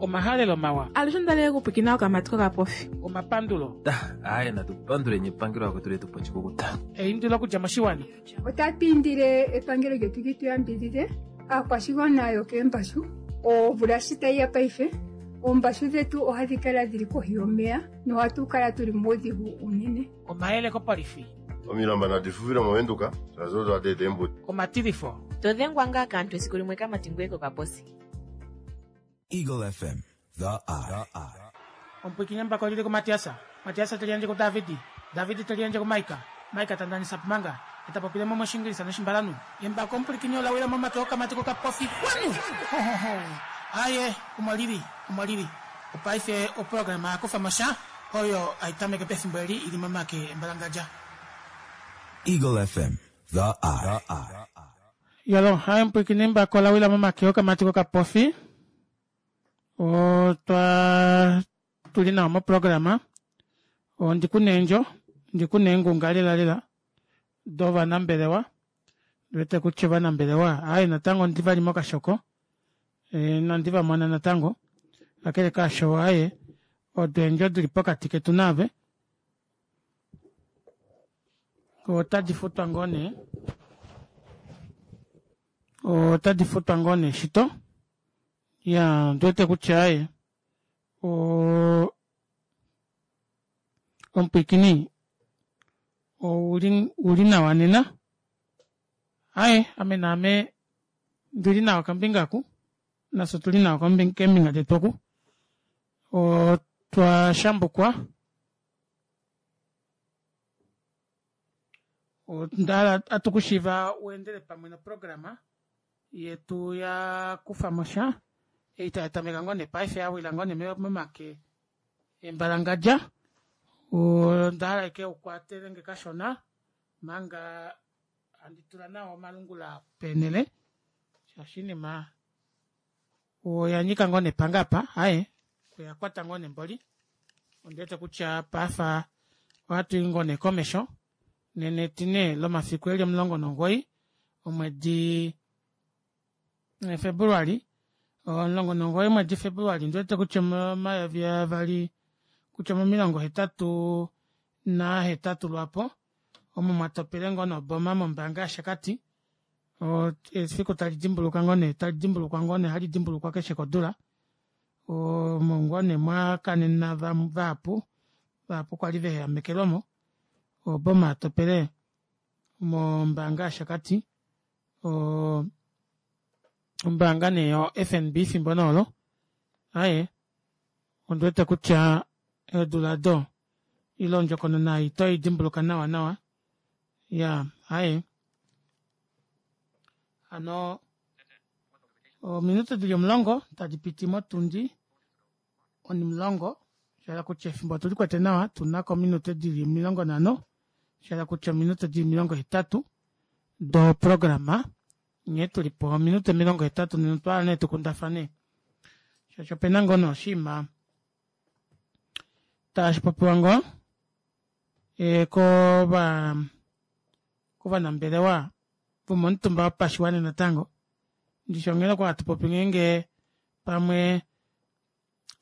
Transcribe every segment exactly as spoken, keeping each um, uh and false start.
Omahalelo mawa. Alushe ondalele okupwikina okamati kokapofi. Omapandulo. Aaye natupanduleni epangelo lakwetu letu poshikukuta. Eindilo okudja moshiwana. Otatu indile epangelo lyetu li tu yambidhidhe aakwashigwana yokeembashu. Omvula shi tayi ya paife, oombashu dhetu ohadhi kala dhili kohi yomeya nohatu kala tuli muudhigu unene. Omayele kopolifi. Omilamba nadi fufile movenduka shaashi odo hadi eta eembudi. Omatilifo. To dhengwa ngaa kaantu esiku limwe kamati ngoye kokaposi. Eagle F M, The Eye. Omupwikinye mbako lili kuMatiasa. Matiasa te liyandje kuDavid. David te liyandje kuMaika. Maika ta ndanisa pumanga. Eta popile mo moshingilisa noshimbalanu. Embako omupwikinye ola wila momake okamati kokapofi. Kwanu! Ho, ho, ho. Aye, omo lili, omo lili. Opaife oprograma ya kufa mo sha, oyo ai tameke pefimbo eli ili momake embalangadja. Eagle F M, The Eye. Yalo, hai omupwikinye embako ola wila momake okamati kokapofi. Otwa tuli nawa moprograma. Ondi ku neendjo, ndi ku neengunga lela lela dovanambelewa. Ndiwete kutya ovanambelewa, ai natango ndi vali mokashoko. E, nandi va mona natango. Kakele kaasho, aye, odo eendjo dili pokati ketu naave. Otadi futwa ngoo nee. Otadi futwa ngoo nee shito. Ya, ndiwete kutya aye, o, omupwikini ouli, uli nawa nena. Aye, ame naame ndili nawa kombinga oku. Nafye otuli nawa keembinga detu oku. Otwa shambukwa. Onda atu kushiva uendele pamwe noprograma yetu ya kufa mo sha. Ei tai tameka ngoo nee paife ya wila ngoo nee momake embalangadja. Onda hala eke ukwatele nge kashona manga handi tula nawa omalungula peenele. Shaashi inima oya nyika ngoo nepanga apa, aye, oya kwata ngoo nemboli. Ondiwete kutya pafa ohatu i ngoo nee komesho. Nena etine lomafiku eli omulongo nomugoyi omwedi Februali, omulongo nomugoyi omwedi Februali, ondiwete kutya omayovi avali kutya omomilongo hetatu nahetatu lwapo omo mwatopele ngoo noboma mombaanga yaShakati. Efiku tali dimbuluka ngoo nee, tali dimbulukwa ngoo nee, hali dimbulukwa keshe kodula. Omo ngoo nee mwakanena vahapu, vahapu kwali veehamekelwamo. Oboma yatopele mombaanga yaShakati. Ombaanga nee yo F N B fimbo noolo. Aye, ondiwete kutya eedula ado ile ondjokonona ei toi dimbuluka nawa nawa. Ya, aye. Hano, ominute dili omulongo tadi piti motundi onimulongo. Shala kutya efimbo otuli kwete nawa, tunako ominute dili omilongo nhano. Shala kutya ominute dili omilongo hetatu do programa. Nghee tuli po ominute omilongo hetatu nena otwa hala nee tukundafane. Shaashi opena ngoo noshiima tashi popiwa ngoo e, kova, kovanambelewa vomomutumba wopashiwana natango. Ndishi onghela kwa hatu popi ngeenge pamwe,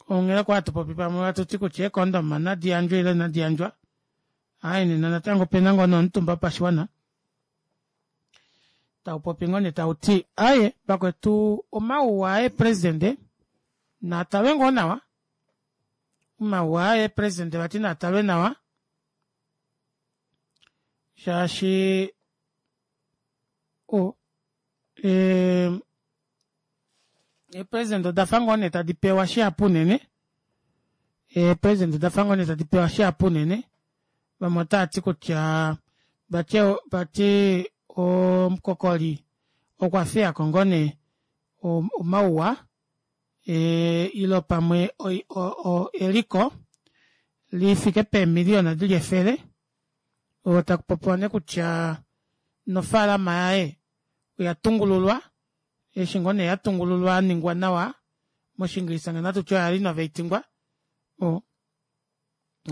onghela kwa hatu popi pamwe hatu ti kutya eekondoma nadi yandjwe ile inadi yandjwa. Ai, nena natango opena ngoo nomutumba wopashiwana tau popi ngoo nee tau ti, aye, vakwetu omauwa aye presidente natalwe ngoo nawa. Omauwa aye presidente vati natalwe nawa. Shaashi, o, e, e presidente oda fa ngoo nee tadi pewa shihapu unene. E presidente oda fa ngoo nee tadi pewa shihapu unene. Vamwe otava ti kutya, vati, vati omukokoli okwa fiyako ngoo nee omauwa, e, ilo pamwe oi, o, o, eliko lifike peemiliyona dili efele. Otaku popiwa nee kutya nofaalama yaye oya tungululwa, eshi ngoo nee ya tungululwa yaningwa nawa, moshingilisa ngeno ohatu ti oya renovatingwa. O,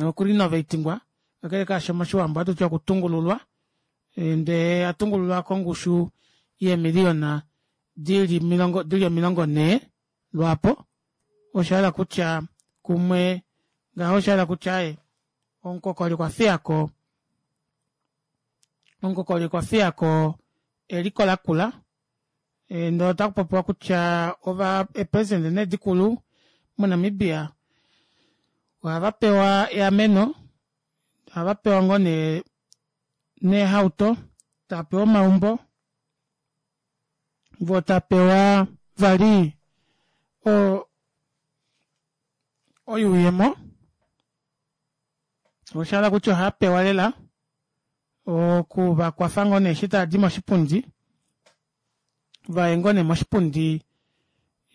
okurenovatingwa, kakele kaasho moshiwambo ohatu ti okutungululwa. Ndee ya tungululwa kongushu yeemiliyona dili milongo, dili omilongo nhee lwaapo. Oshahala kutya kumwe ngaho oshahala kutya aaye omukokoli okwafiyako omukokoli okwafiyako eliko lakula ndee otakupopiwa kutya ova eepresident nee dikulu mo Namibia ohavapewa eameno ohavapewa ngoo nee neehauto taapewa omaumbo voo tapewa vali oo oyuuyemo oshahala kutya ohaapewa lela okuvakwafa ngoo nee eshi taadi moshipundi vaye ngoo nee moshipundi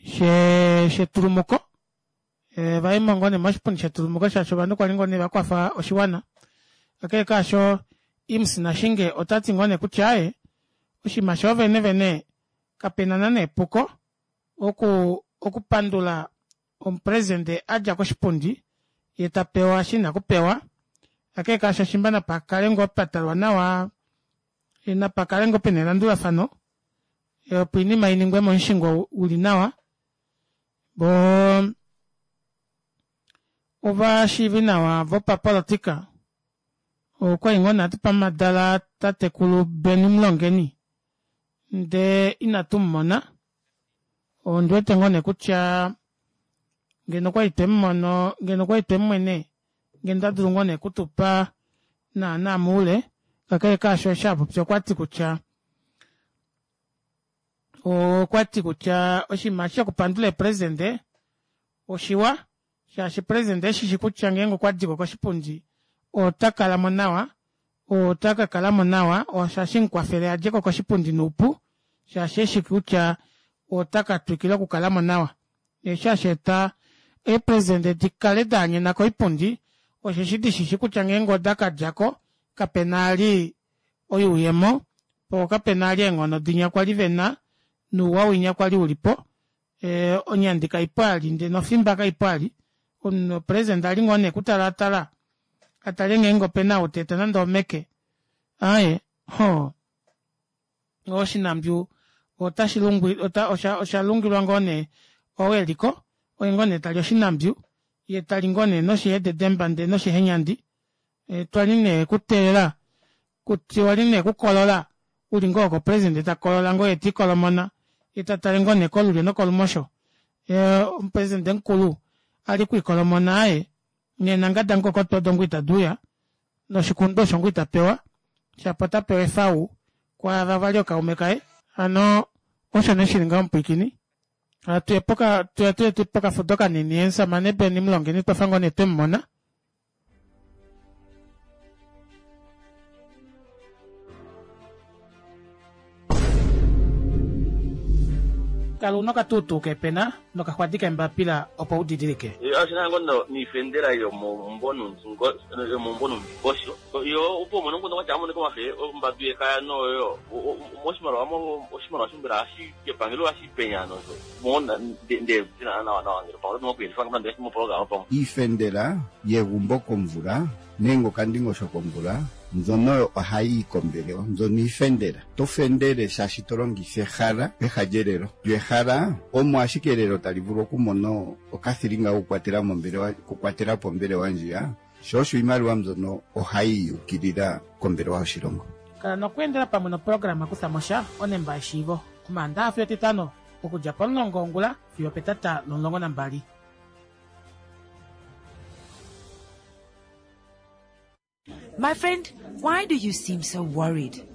shee shetulumuko vayemo ngoo nee moshipundi shetulumuko shaashi ovanhu kwali ngoo nee vakwafa oshiwana kakele kaasho Imms Nashinge otati ngoo nee kutya aaye oshinima shoovene vene kapena naana epuko oku okupandula omupresident adja koshipundi yee tapewa eshi ena okupewa kakele kaasho shimba napakale ngoo patalwa nawa napakale ngoo pena elandulafano opo oinima iningwe momushingo uli nawa voo ovashiivinawa vopapolitika okwali ngoo nee hatupe omadala tatekulu Benny Mulongeni ndee ina tumumona ondiwete ngoo nee kutya ngeno okwali twemumono ngeno okwali twemumwene ngeno otadulu ngoo nee okutupa naana moule kakele kaasho eshi apopya okwati kutya okwati kutya oshinima eshi shokupandula eepresident oshiwa shaashi president eshishi kutya ngeenge okwadiko koshipundi otakalamo nawa otakakalamo nawa osho hashimukwafele adjeko koshipundi noupu shaashi eshi kutya otakatwikila okukalamo nawa eshi hasheeta eepresident dikale daanyena koipundi osheshi dishishi kutya ngeenge odakadjako kapena vali oyuuyemo poo kapena vali eenghono dinya kwali vena nouwa winya kwali ulipo ee onyandi kaipo vali ndee nofimba kaipo vali omunhu president ali ngoo nee okutalaatala atale ngeenge opena ou taeta nande omeke aaye hoo oshinambyu otashi lungwi oshalungilwa ngoo nee ou eliko oye ngoo nee tali oshinambyu yee tali ngoo nee noshihededemba ndee noshihenyandi twali nee kuteelela twali nee kukolola uli ngoo oko president takolola ngoo yee tiikolomona yee tatale ngoo nee kolulyo nokolumosho omupresident mukulu ali okwiikolomona aaye neenangada mukokoto odo ngoo ita duuya noshikundu osho ngoo itapewa shapo otapewa efau kwaava vali ookaume kaye hano osho nee shili ngaho mupwiikini hatuya poka tuya pokafudo kanini omushamane Benny Mulongeni twafa ngoo nee twemumona. Kala una okatuutuu keepena nokaxwadi keembapila opo udidilike. Oshina ngoo noifendela yomombo nomundingosho yo opo umone ngono kwatya amoneka omafe ombadu yekaya noyo oshimaliwa oshimaliwa shombela hashi kepangelo hashi penya nosho mona nde nawa nawa ngelo pamwe nokuyelifa nande moprograma pamwe iifendela yegumbo komvula nenge okandingosho komvula mbyono ohayi kombelewa mbyono iifendela to fendele shaashi to longitha ehala peha lyelelo lyo ehala omo ashike elelo tali vulu okumona okathilinga kokukwatela mombelewa kukwatela po ombelewa ndjiya sho osho iimaliwa mbyono ohayi yukilila kombelewa yoshilongo. Kala nokweendela pamwe noprograma kuthamosha onemba yeshiivo omaandaxa fiyo etitano okudja pomulongo wongula fiyo petata lomulongo nambali. My friend, why do you seem so worried?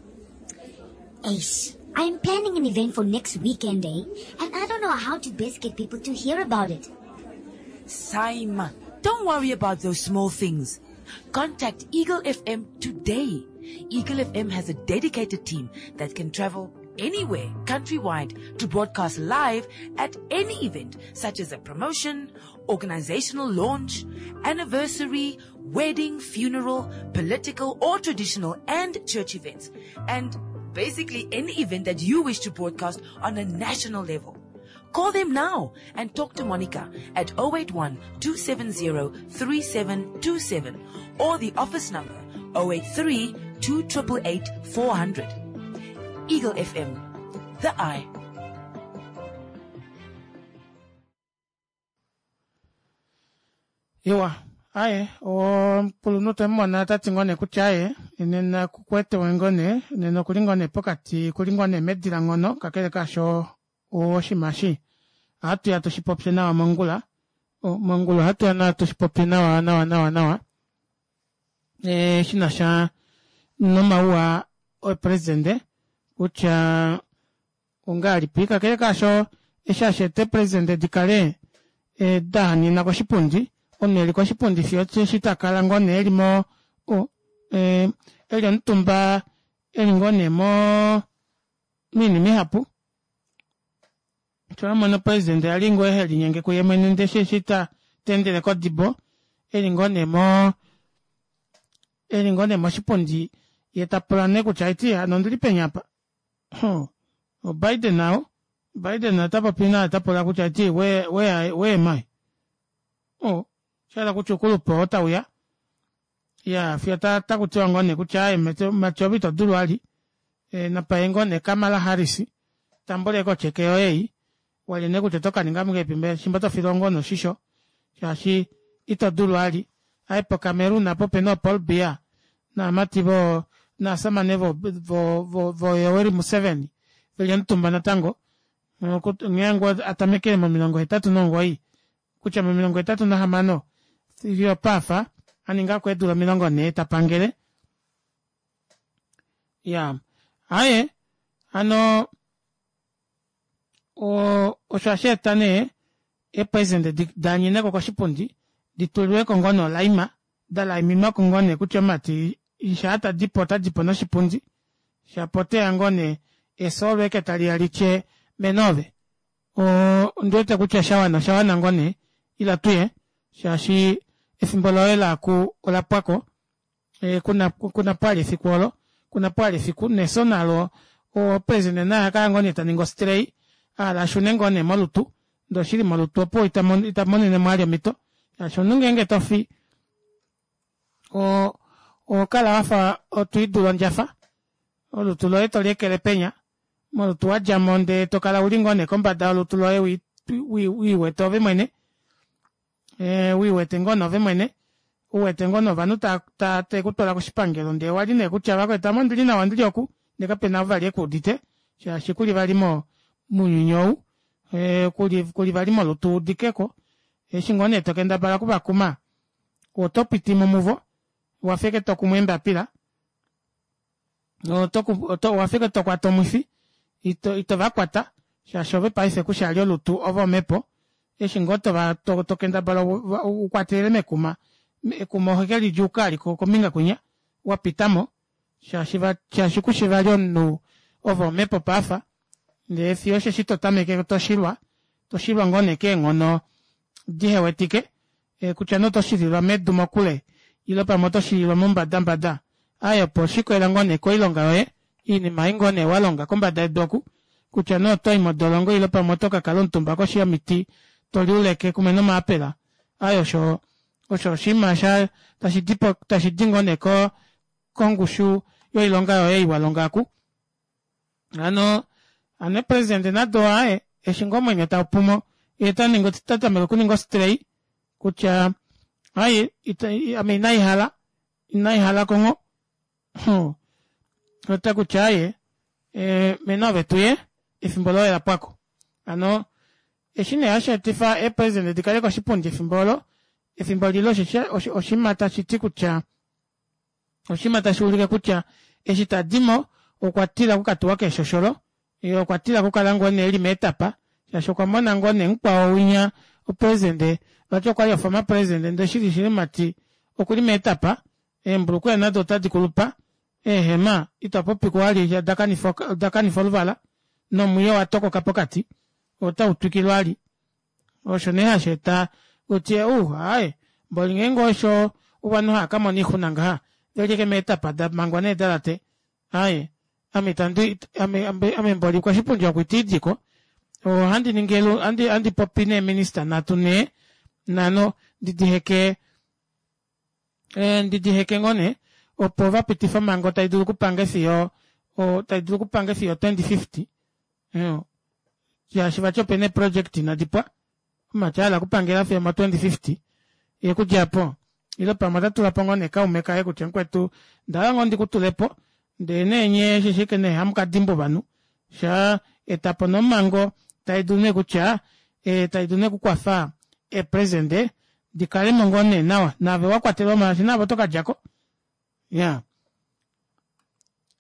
Ace, I'm planning an event for next weekend, eh? And I don't know how to best get people to hear about it. Saima, don't worry about those small things. Contact Eagle F M today. Eagle F M has a dedicated team that can travel anywhere countrywide to broadcast live at any event such as a promotion, organizational launch, anniversary, wedding, funeral, political or traditional and church events, and basically any event that you wish to broadcast on a national level. Call them now and talk to Monica at oh eight one, two seven zero, three seven two seven or the office number oh eight three, two eight eight, four hundred. Eagle F M, the eye. Iwa, aaye omukulunhu twemumona otati ngoo nee kutya aaye nena kukwete ngoo nee nena okuli ngoo nee pokati okuli ngoo nee medilangono kakele kaasho oshinima eshi ohatuya tushipopye nawa mongula mongula ohatuya nawa tushipopye nawa nawa nawa nawa ee shinasha nomauwa omupresident kutya ongahelipi kakele kaasho eshi hasheeta eepresident dikale dahanena koshipundi omunhu eli koshipundi fiyo osheshi takala ngoo nee eli mo eli omutumba eli ngoo nee moo moinima ihapu shoo president ali ngoo helinyenge kuye mwene ndee eshi teendele kodibo eli ngoo nee moo eli ngoo nee moshipundi yee tapula nee kutya haiti hano ondili peni aapa hoo o biden ou biden otapopi naye tapula kutya haiti where where am I oo oshahala kutya oukulupe oo tauya iyaa fiyo otakutiwa ngoo nee kutya aaye mumati ove itodulu vali napaye ngoo nee kamala harris tambuleko otyeke yoye ei walye nee kutya oto kaninga ngahelipi shimba otofilwa ngoo nee oshisho shaashi ito dulu vali aaye po cameroon aapa opena oo paul biya novamati voo novashamane vo vo vo yoweri museveni veli omutumba natango nghee ngoo atamekele momilongo hetatu nomugoyi kutya momilongo hetatu nahamano fiyo opaafa aningako eedula omilongo nhee tapangele iyaa aaye hano oo osho hasheeta nee eepresident daanyeneko koshipundi ditulilweko ngoo nee olaima dalaiminwako ngoo nee kutya omumati shaa tadipo otadipo noshipundi shapo oteya ngoo nee efyo olo ashike taliya litye mena oove oo ondiwete kutya shawana oshawana ngoo nee ila tuye shaashi efimbo loye laaku olapwako kunapo vali efiku oolo kunapo vali efiku nefyo nalo president naye ohakala ngoo nee taningi ostrey ahala ashune ngoo nee molutu ndee oshili molutu opuwo itamonenemo vali omito shaashi omunhu ngenge tofi oo ohokala wafa twiidula ondjafa olutu loye tolyeekele penya molutu wadjamo ndee tokala uli ngoo nee kombada yolutu loye wiiwete ove mwene wiiwete ngoo nee ove mwene uwete ngoo nee ovanhu tavekutwala koshipangelo ndee owali nee kutya vakwetu ame ondili nawa ondili oku ndee kapena ou vali ekuudite shaashi kuli vali mounyuni ou kuli vali molutu wuudikeko eshi ngoo nee tokendabala okuvakuma otopitimo muvo wafa ashike tokumu eembapila owafa ashike tokwata omwifi ito vakwata shaashi ove paife kushi vali olutu ove omepo eshi ngoo tokendabala ukwatelele mekuma ekuma ohokelidjuuka ashike kombinga kwinya wapitamo shaashi kushi vali omunhu ove omepo paife ndee fiyo osheshi totameke toshilwa toshilwa ngoo nee keenghono dihewetike kutya nee oto shililwa medu mokule ile pamwe oto shililwa mombada aaye opo oshikolela ngoo nee koilonga yoye oinima ei ngoo nee walonga kombada yedu oku kutya nee otoyi modolongo ile pamwe oto kakala omutumba koshi yomiti toliuleke kumwe nomaapela aaye osho osho oshinima sha tashidi ngoo nee kongushu yoilonga yoye ei walonga oku hano hano eepresident nado aaye eshi ngoo omwenyo taupumo yee otatameke okuninga ostrey kutya aaye ame inaihala inaihala kongho otakutya aaye mena ove tuye efimbo loye olapwako hano eshi nee hasheetifa eepresident dikale koshipundi efimbo olo efimbo lile oshinima tashiti kutya oshinima tashuulike kutya eshi tadimo okwatila okukatuwa keeshosholo yee okwatila okukala ngoo nee eli meetapa shaashi okwamona ngoo nee mukwao winya opresident vati okwali former president ndee shili shili mumati okuli meetapa eembulukweya nado otadi kulupa eehema itopopi vali odakanifa oluvala nomwiyo owatokoka pokati otautwikilwa vali osho nee hasheeta utye uu aaye mboli ngeenge osho ovanhu haakamona oixuna ngaha veli ashike meetapa damangwa needalate aaye ame itandi ame ame mboli koshipundi oku itiidiko ohandi ningi ohandi popi neeminister nhatu nhee nhano ndidiheke ndidiheke ngoo nee opo vapitife omhango taidulu okupange fiyo taidulu okupange fiyo twenty fifty shaashi vati opena eeproject inadipwa omumati ahala okupangela fiyo omo twenty fifty Yekudjapo ile pamwe otatulapo ngoo nee kaume kaye kutya mukwetu ndahala ngoo ndikutulepo ndee nee nyee eshi ashike nee hamukadimbwa ovanhu shaa etapo nee omhango taidulu nee kutya taidulu nee okukwafa eepresident dikalemo ngoo nee nawa naave wakwatelwamo shaashi naave oto kadjako iyaa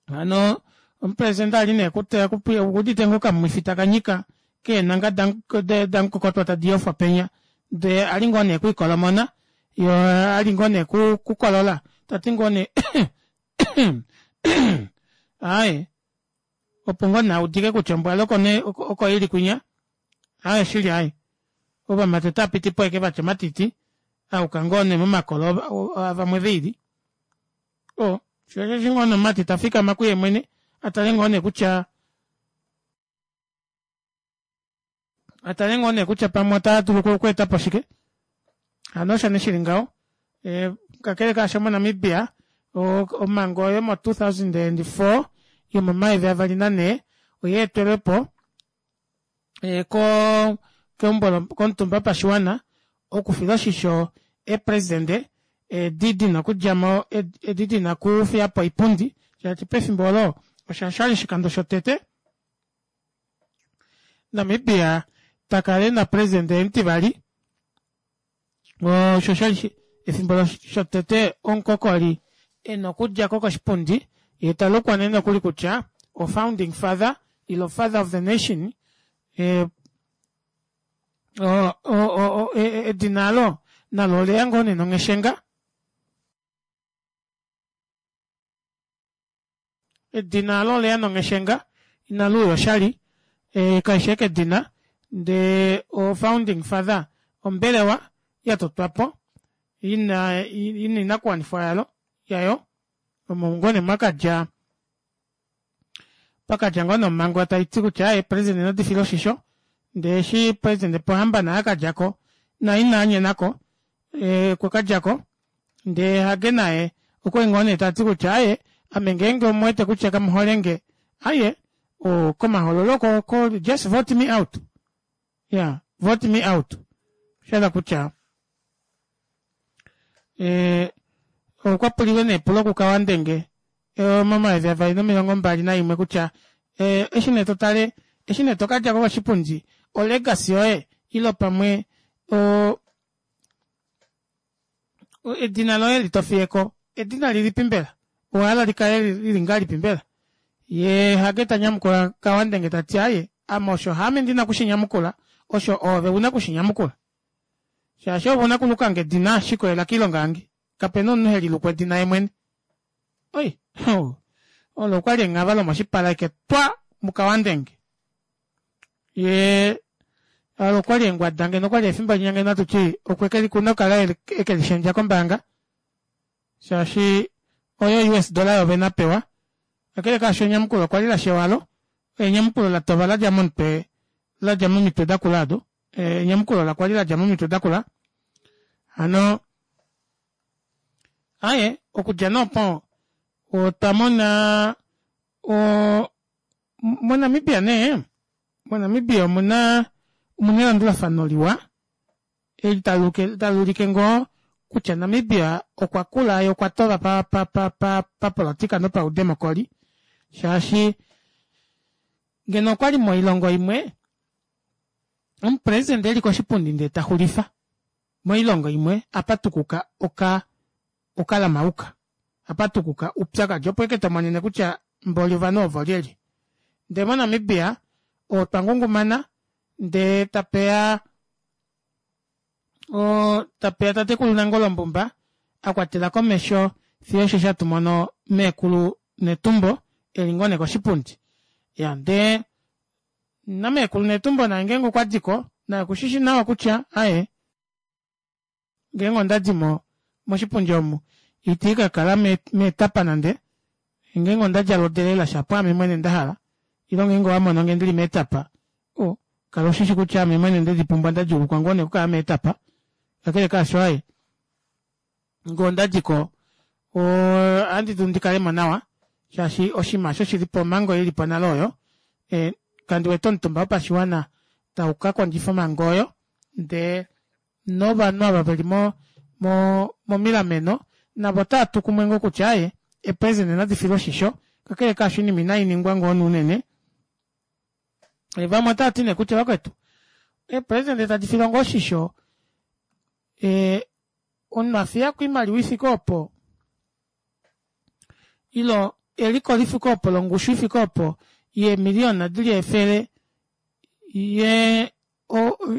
hano omupresident ali nee okuudite ngoo okamwifi takanyika keenanga damukokotwa tadiyofwa penya ndee ali ngoo nee okwiikolomona yee ali ngoo nee okukolola tati ngoo nee aaye opo ngoo nee audike kutya ombwa oko ili kwinya aaye shili aaye ovamati otaapitipo ashike vatya omatiti ayuka ngoo nee momakolo avamwe veili oo shoo osho eshi ngoo nee omumati tafikama kuye mwene atale ngoo nee kutya atale ngoo nee kutya pamwe otadulu okweetapo shike hano osho nee shili ngaho kakele kaasho mo Namibia omhango yomo two thousand and four yomomayovi avali nanhee oyeetelwepo koo keumbo komutumba wopashiwana okufila oshisho eepresident edi dina okudjamo edi dina okufiyapo oipundi shaashi pefimbo oolo osho oshali oshikando shotete Namibia takala ena president omutivali osho oshali efimbo shotete omukokoli ena okudjako koshipundi yee talukwa nee nokuli kutya o founding father ile father of the nation o- o- edina aalo nalo oleya ngoo nee nongheshenga edina aalo oleya nongheshenga inaluuya oshali kaifi ashike edina ndee o founding father ombelewa yatotwapo ina oinakuwanifwa yalo yayo omo ngoo nee mwakadja pakadja ngoo nee omhango taiti kutya aaye eepresident nadi filwe oshisho ndee eshi president Pohamba naye akadjako naye inaanyenako okwakadjako ndee Hage naye okwali ngoo nee tati kutya aaye ame ngeenge omuwete kutya kamuholenge aaye komahoololo oko just vote me out iya vote me out oshahala kutya okwapulilwe nee epulo ku Kauandenge momayovi avali nomilongo mbali naimwe kutya eshi nee totale eshi nee tokadjako koshipundi o legacy yoye ile pamwe o edina loye eli tofiyeko edina lilipi mbela owahala likale lili ngahelipi mbela yee Hage tanyamukula Kauandenge tati aaye ame osho haame ndina okushinyamukula osho oove una okushinyamukula shaashi ove una okulukange edina shikolela koilonga yange kapena omunhu heliluku edina yeemwene oi olo okwali enghava lomoshipala ashike twa muKauandenge yee olo okwali engwada ngeno okwali efimbo linya ngeno atuti okuna okukala ekelishendja kombaanga shaashi oyo U S dollar yoovene apewa kakele kaasho enyamukulo okwali lashewalo enyamukulo latova ladja momutwe ladja momitwe dakula aado enyamukulo lakwali ladja momitwe dakula hano aaye okudja nee opo otwa mona o moNamibia nee moNamibia omuna omuna elandulafano liwa eli taliulike ngoo kutya Namibia okwa kula yee okwa tova papolitika nopaudemocry shaashi ngeno okwali moilongo imwe omupresident eli koshipundi ndee taxulifa moilongo imwe apatukuka oka okalamauka apatukuka oupyakadi opo ashike tomonene kutya mboli ovanhu ovo olyelye ndee mo Namibia otwa ngungumana ndee tapeya oo tapeya tatekulu Nangolo Mbumba akwatela komesho fiyo osheshi hatumono meekulu Netumbo eli ngoo nee koshipundi iya ndee nameekulu Netumbo naye ngeenge okwadiko naye okushishi nawa kutya aaye ngeenge ondadimo moshipundi omu itiikakala meetapa nande ngeenge ondadjala odelela shapo aame mwene ndahala ile ngeenge owamononge ndili meetapa o kala ushishi kutya aame mwene ndedipumbwa ndadjuulukwa ngoo nee okukala meetapa kakele kaasho aaye ngee ondadiko ohandi dulu ndikalemo nawa shaashi oshinima aasho shilipo omhango ilipo nale oyo kandi wete omutumba wopashiwana taukakondjifa omhango oyo ndee novanhu ava veli mo mo momilameno navo otaatu kumwe ngoo kutya aaye eepresident nadi filwe oshisho kakele kaasho oinima inainingwa ngoo nee unene vamwe otaati nee kutya vakwetu eepresident tadi filwa ngoo oshisho ee omunhu afiyako oimaliwa ifike oopo ilo eliko lifike oopo longushu ifike oopo yeemiliyona dili efele yee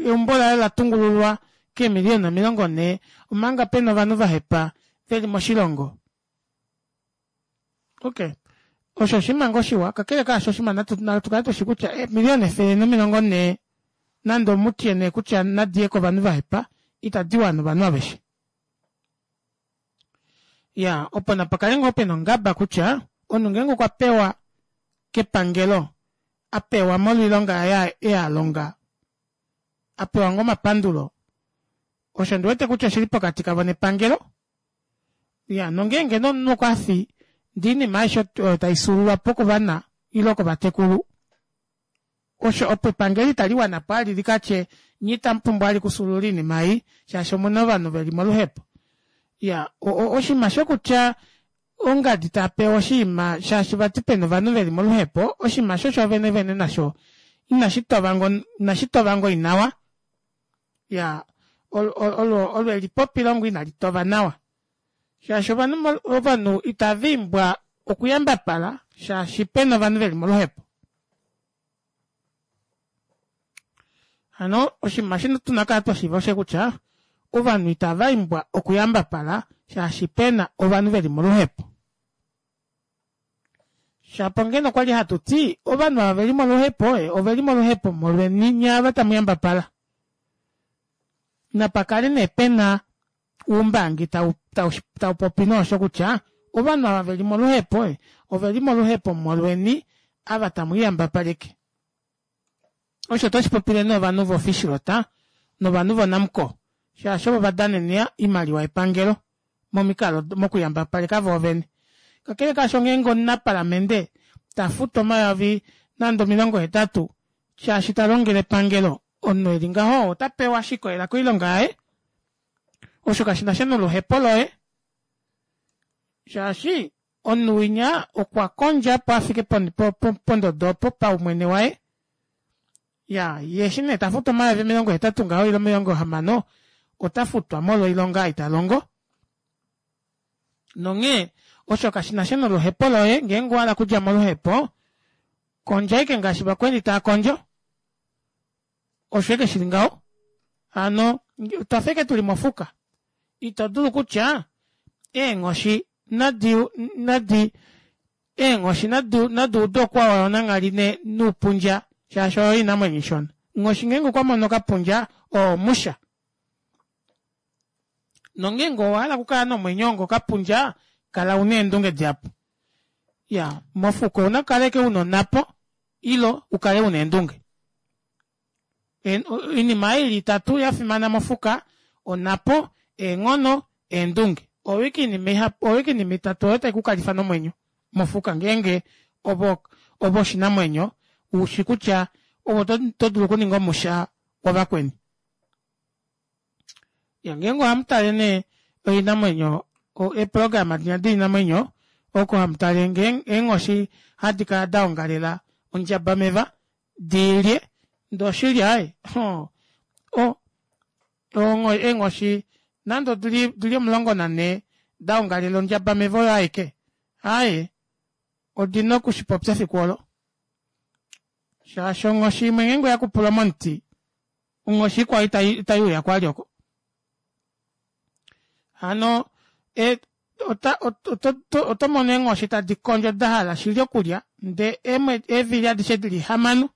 eumbo laye olatungululwa keemiliyona omilongo nhee omanga pena ovanhu vahepa veli moshilongo. Okey osho oshinima ngoo shiwa kakele kaasho oshinima natukale tushi kutya eemiliyona efele nomilongo nhee nande omutye nee kutya nadiye kovanhu vahepa itadiwana ovanhu aveshe. Iyaa opo napakale ngoo pena ongaba kutya omunhu ngeenge okwa pewa kepangelo apewa molwo oilonga yaye ei alonga apewa ngoo omapandulo osho ondiwete kutya oshili pokati kavo nepangelo iyaa nongeenge nee omunhu okwafi ndee oinima aishe oyo taifyuululwapo kovana ile kovatekulu osho opo epangelo italiwanapo vali likatye nyee itamupumbwa vali okufyuulula oinima ei shaashi omuna ovanhu veli moluhepo. Iyaa oshinima shokutya ongadi tapewa oshinima shaashi vati pena ovanhu veli moluhepo oshinima aasho shoovene vene nasho inashitova ngoo nawa iyaa olo elipopilo ngoo inalitova nawa shaashi ovanhu ovanhu itavaimbwa okuyambapala shaashi pena ovanhu veli moluhepo. Hano oshinima eshi tuna okukala twashiiva oshosho kutya ovanhu itavaimbwa okuyambapala shaashi pena ovanhu veli moluhepo. Shapo ngeno okwali hatuti ovanhu ava veli moluhepo oveli moluhepo molweni nyee ava tamuyambapala. Napakale nee pena oumbangi taupopi noosho kutya ovanhu ava veli moluhepo oveli moluhepo molweni ava tamwiiyambapaleke. Osho ota shipopile nee ovanhu vo fishrot novanhu vo namcor shaashi ovo vadanena oimaliwa yepangelo momikalo mokuyambapaleka voovene. Kakele kaasho ngeenge omunapalamente tafutwa omayovi nande omilongo hetatu shaashi talongele epangelo omunhu eli ngaho otapewa shikolela koilonga yaye osho kashinasha noluhepo loye shaashi omunhu winya okwa kondja opo afike pondodo opo paumwene waye iyaa yee eshi nee tafutwa omayovi omilongo hetatu ngaho ile omilongo hamano otafutwa molwo oilonga ei talongo nonghee osho kashinasha noluhepo loye ngeenge owahala okudja moluhepo kondja ashike ngaashi vakweni taakondjo osho ashike shili ngaho hano otwafa ashike tuli mofuka ito dulu kutya eenghoshi nadi nadi eenghoshi naduude okuwawawa nanghali noupundja shaashi oyo oinamwenyo ishona. Onghoshi ngeenge okwamono okapundja oo omusha. Nongeenge owahala okukala nomwenyo onga okapundja kala una eendunge dihapu. Iyaa mofuka ouna okukala ashike una onapo ile ukale una eendunge. Oinima ei ili itatu yafimana mofuka onapo, eenghono, eendunge oyo ashike oinima ihapu oyo ashike oinima itatu oyo taikukalifa nomwenyo mofuka ngeenge ove oshinamwenyo ushi kutya ove otodulu okuninga omusha wavakweni. Iyaa ngeenge ohamutale nee oinamwenyo eeprograma dinya doinamwenyo oko hamutale eenghoshi hadikala daongalela ondjaba meva diilye ndee oshili aaye oo eenghoshi nande odili omulongo nanhee daongalela ondjaba meva oyo aike aaye odina okushipopya efiku oolo shaashi onghoshi imwe ngeenge oyakupulwa momuti onghoshi ikwao itaiuyako vali oko. Hano otomono eenghoshi tadi kondjo dahala shili okulya ndee eevili adishe dili hamano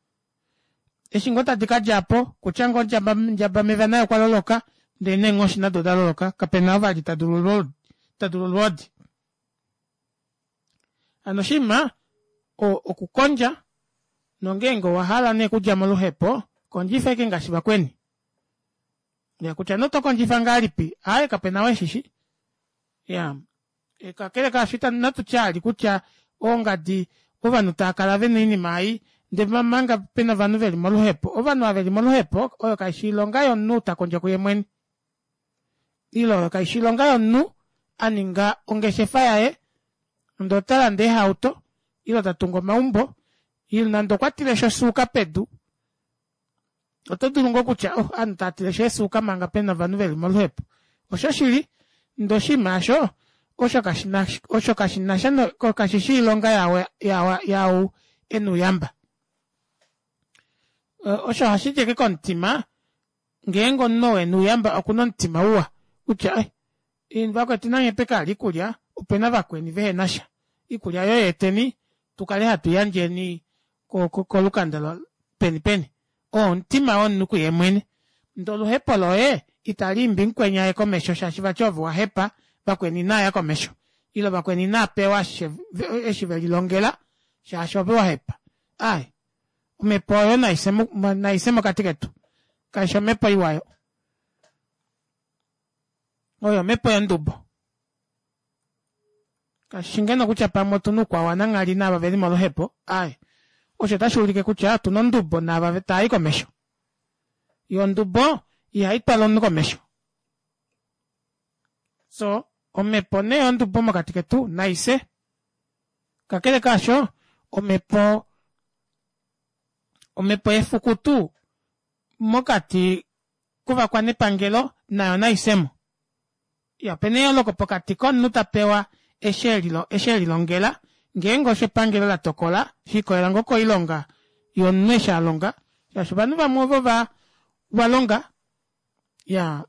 eshi ngoo tadi kadjapo okutya ngoo ndjabameva naye okwaloloka ndee neenghoshi nado odaloloka kapena oo vali tadulu olwoodi. Hano oshinima okukondja nongeenge owahala nee okudja moluhepo kondjifa ashike ngaashi vakweni. Kutya nee otokondjifa ngahelipi aaye kapena ou eshishi iyaa kakele kaasho inatutya vali kutya ongadi ovanhu taakala vena oinima ei ndee omanga pena ovanhu veli moluhepo, ovanhu ava veli moluhepo oyo kaifi oilonga yomunhu takondjo kuye mwene. Ile oyo kaishi oilonga yomunhu aninga ongeshefa yaye ndee otalande eehauto ile tatungu omaumbo ile nande okwa tileshi osuuka pedu oto dulu ngoo kutya oh ovanhu taatileshi eesuuka manga pena ovanhu veli moluhepo oshoshili ndee oshinima aasho osho kashina osho kashinasha kashishi oilonga yaau ena ouyamba osho ohashidi ashike komutima ngeenge omunhu oo ena ouyamba okuna omutima uwa kutya eh vakwetu nanyepeke oikulya opena vakweni vehenasha oikulya aayo yeeteni tukale hatu iyandjeni kolukanda peni peni oo omutima womunhu kuyeemwene ndee oluhepo loye italiimbi mukweni aye komesho shaashi vati ove owahepa vakweni inaaya komesho ile vakweni inaapewa eshi velilongela shaashi ove wahepa aaye omepo oyo naise mokati ketu kaifi omepo iwa aayo oyo omepo yondubo kashishi ngeno kutya pamwe otuna oukwao wananghali naava veli moluhepo aaye osho otashuulike kutya otuna ondubo naava taayi komesho yoo ondubo ihaitwala omunhu komesho soo omepo nee yondubo mokati ketu naifye kakele kaasho omepo omepo yefukutu mokati kovakwanepangelo nayo naifyemo iya opena eyooloko pokati komunhu tapewa eshi elilongela ngeenge osho epangelo latokola shikolela ngoo koilonga yomunhu eshi alonga shaashi ovanhu vamwe ovo valonga iyaa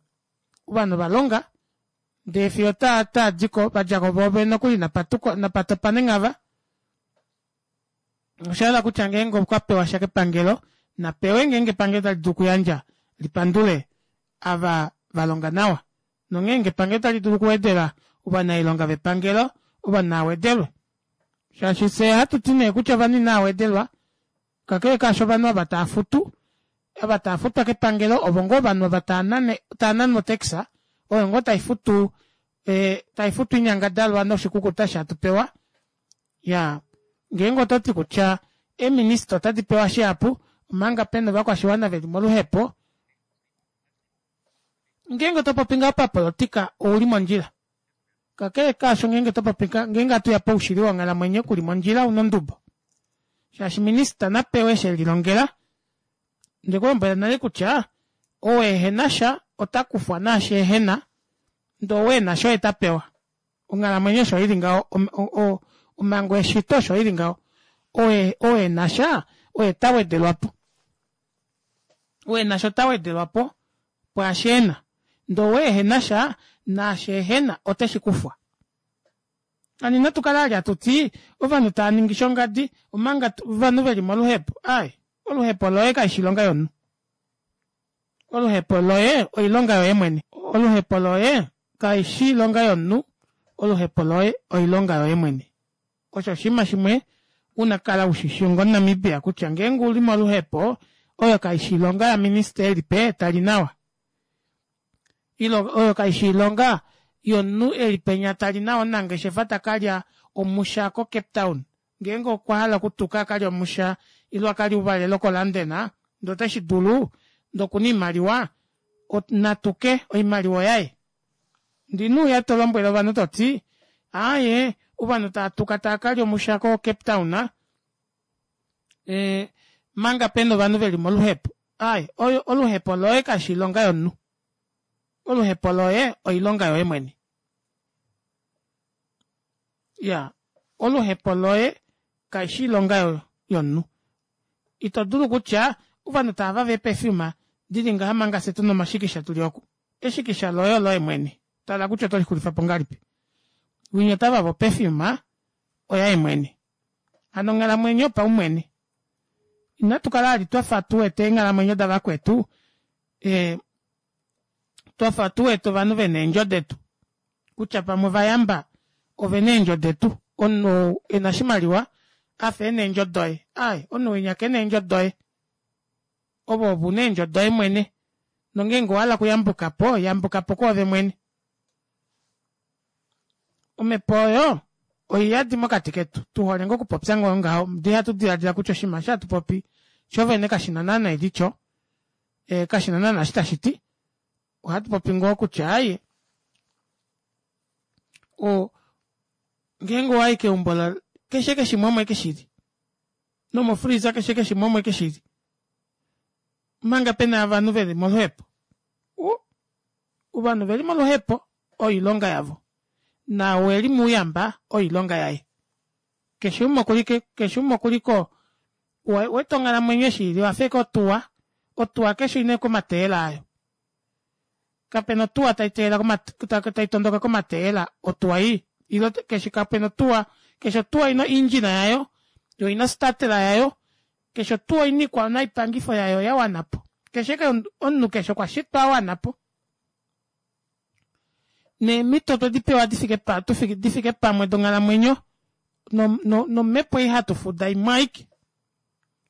ovanhu ovalonga ndee fiyo otaadiko vadjako voovene nokuli napatopa nenghava oshahala kutya ngeenge okwa pewasha kepangelo napewe ngeenge epangelo otalidulu okuyandja lipandule ava valonga nawa nongeenge epangelo otalidulu okuwedela ovanailonga vepangelo ovanhu naawedelwe shaashi fyee ohatuti nee kutya ovanhu inaawedelwa kakele kaasho ovanhu ava taafutu ava taafutwa kepangelo ovo ngoo ovanhu ava taananwa otax oyo ngoo taifutu taifutu oinyangadalwa noshikukuta eshi hatu pewa iyaa ngeenge ototi kutya eeminister otadi pewa shihapu omanga pena ovakwashiwana veli moluhepo ngeenge otopopi ngaho papolitika ouli mondjila kakele kaasho ngeenge topopi ngeenge ohatuya poushili wonghalamwenyo kuli mondjila una ondubo shaashi minister napewe eshi elilongela ondekulombwela nale kutya ou ehenasha otakufwa naashi ehena ndee ou enasha oye tapewa onghalamwenyo osho ili ngaho omhango yeshito osho ili ngaho ou enasha oye tawedelwapo ou enasha ota wedelwapo pwaashi ena ndee ou ehenasha naashi ehena oteshikufwa hano inatukala vali hatuti ovanhu taaningi shongadi omanga ovanhu veli moluhepo aaye oluhepo loye kaifi oilonga yomunhu oluhepo loye oilonga yoye mwene oluhepo loye kaishi oilonga yomunhu oluhepo loye oilonga yoye mwene osho oshinima shimwe una okukala ushishi onga omunamibia kutya ngeenge uli moluhepo oyo kaishi oilonga yaminista elipe tali nawa ile oyo kaishi oilonga yomunhu eli penya tali nawa omunangeshefa takalya omusha ko cape town ngeenge okwahala okutuka akalye omusha ile akalye ouvalelo ko london ndee otashidulu ndee okuna oimaliwa natuke oimaliwa oyaye ndee inouya tolombwele ovanhu toti aaye ovanhu taatuka taakalya omusha ko cape town ee manga pena ovanhu veli moluhepo aaye oluhepo loye kaifi oilonga yomunhu oluhepo loye oilonga yoye mwene iyaa oluhepo loye kaishi oilonga yomunhu ito dulu kutya ovanhu taavava eeperfume dili ngaha manga fyee tuna omashikisha tuli oku eshikisha loye oloye mwene tala kutya otolixulifapo ngahelipi winya otavava operfume oyaye mwene hano onghalamwenyo yopaumwene inatukala vali twafa tuwete eenghalamwenyo davakwetu ee twafa tuwete ovanhu vena eendjo detu kutya pamwe ovayamba ovena eendjo detu omunhu ou ena oshimaliwa afa ena eendjo doye aaye omunhu winya kena eendjo doye ove ove una eendjo doye mwene nongeenge owahala okuyambukapo yambukapo kwoove mwene omepo oyo oiyadi mokati ketu tuhole ngoo okupopya ngoo ngaho ndee ihatu dilaadila kutya oshinima eshi hatupopi shoovene kashina naana elityo kashina naana eshi tashiti ohatupopi ngoo kutya aaye O ngeenge owayi keumbo la keshe ashike shimwe omo ashike shili nomo freezer keshe ashike shimwe omo ashike shili omanga pena ovanhu veli moluhepo uu ovanhu oveli moluhepo oilonga yavo naau eli mouyamba oilonga yaye keshe umwe okuli keshe umwe okuliko ouwete onghalamwenyo eshi ili oyafa ashike otuwa otuwa keshe oina ashike omateyela ayo kapena otuwa taiteyela taitondoka komateyela otuwa ei ile keshe kapena otuwa keshe otuwa oina engine yayo yoo oina startela yayo keshe otuwa oina oikwa yayo yawanapo keshe ashike omunhu keshe okwashitwa awanapo neemito otwedipewa difike difike pamwe donghalamwenyo nomepo ei hatufuda imwe aike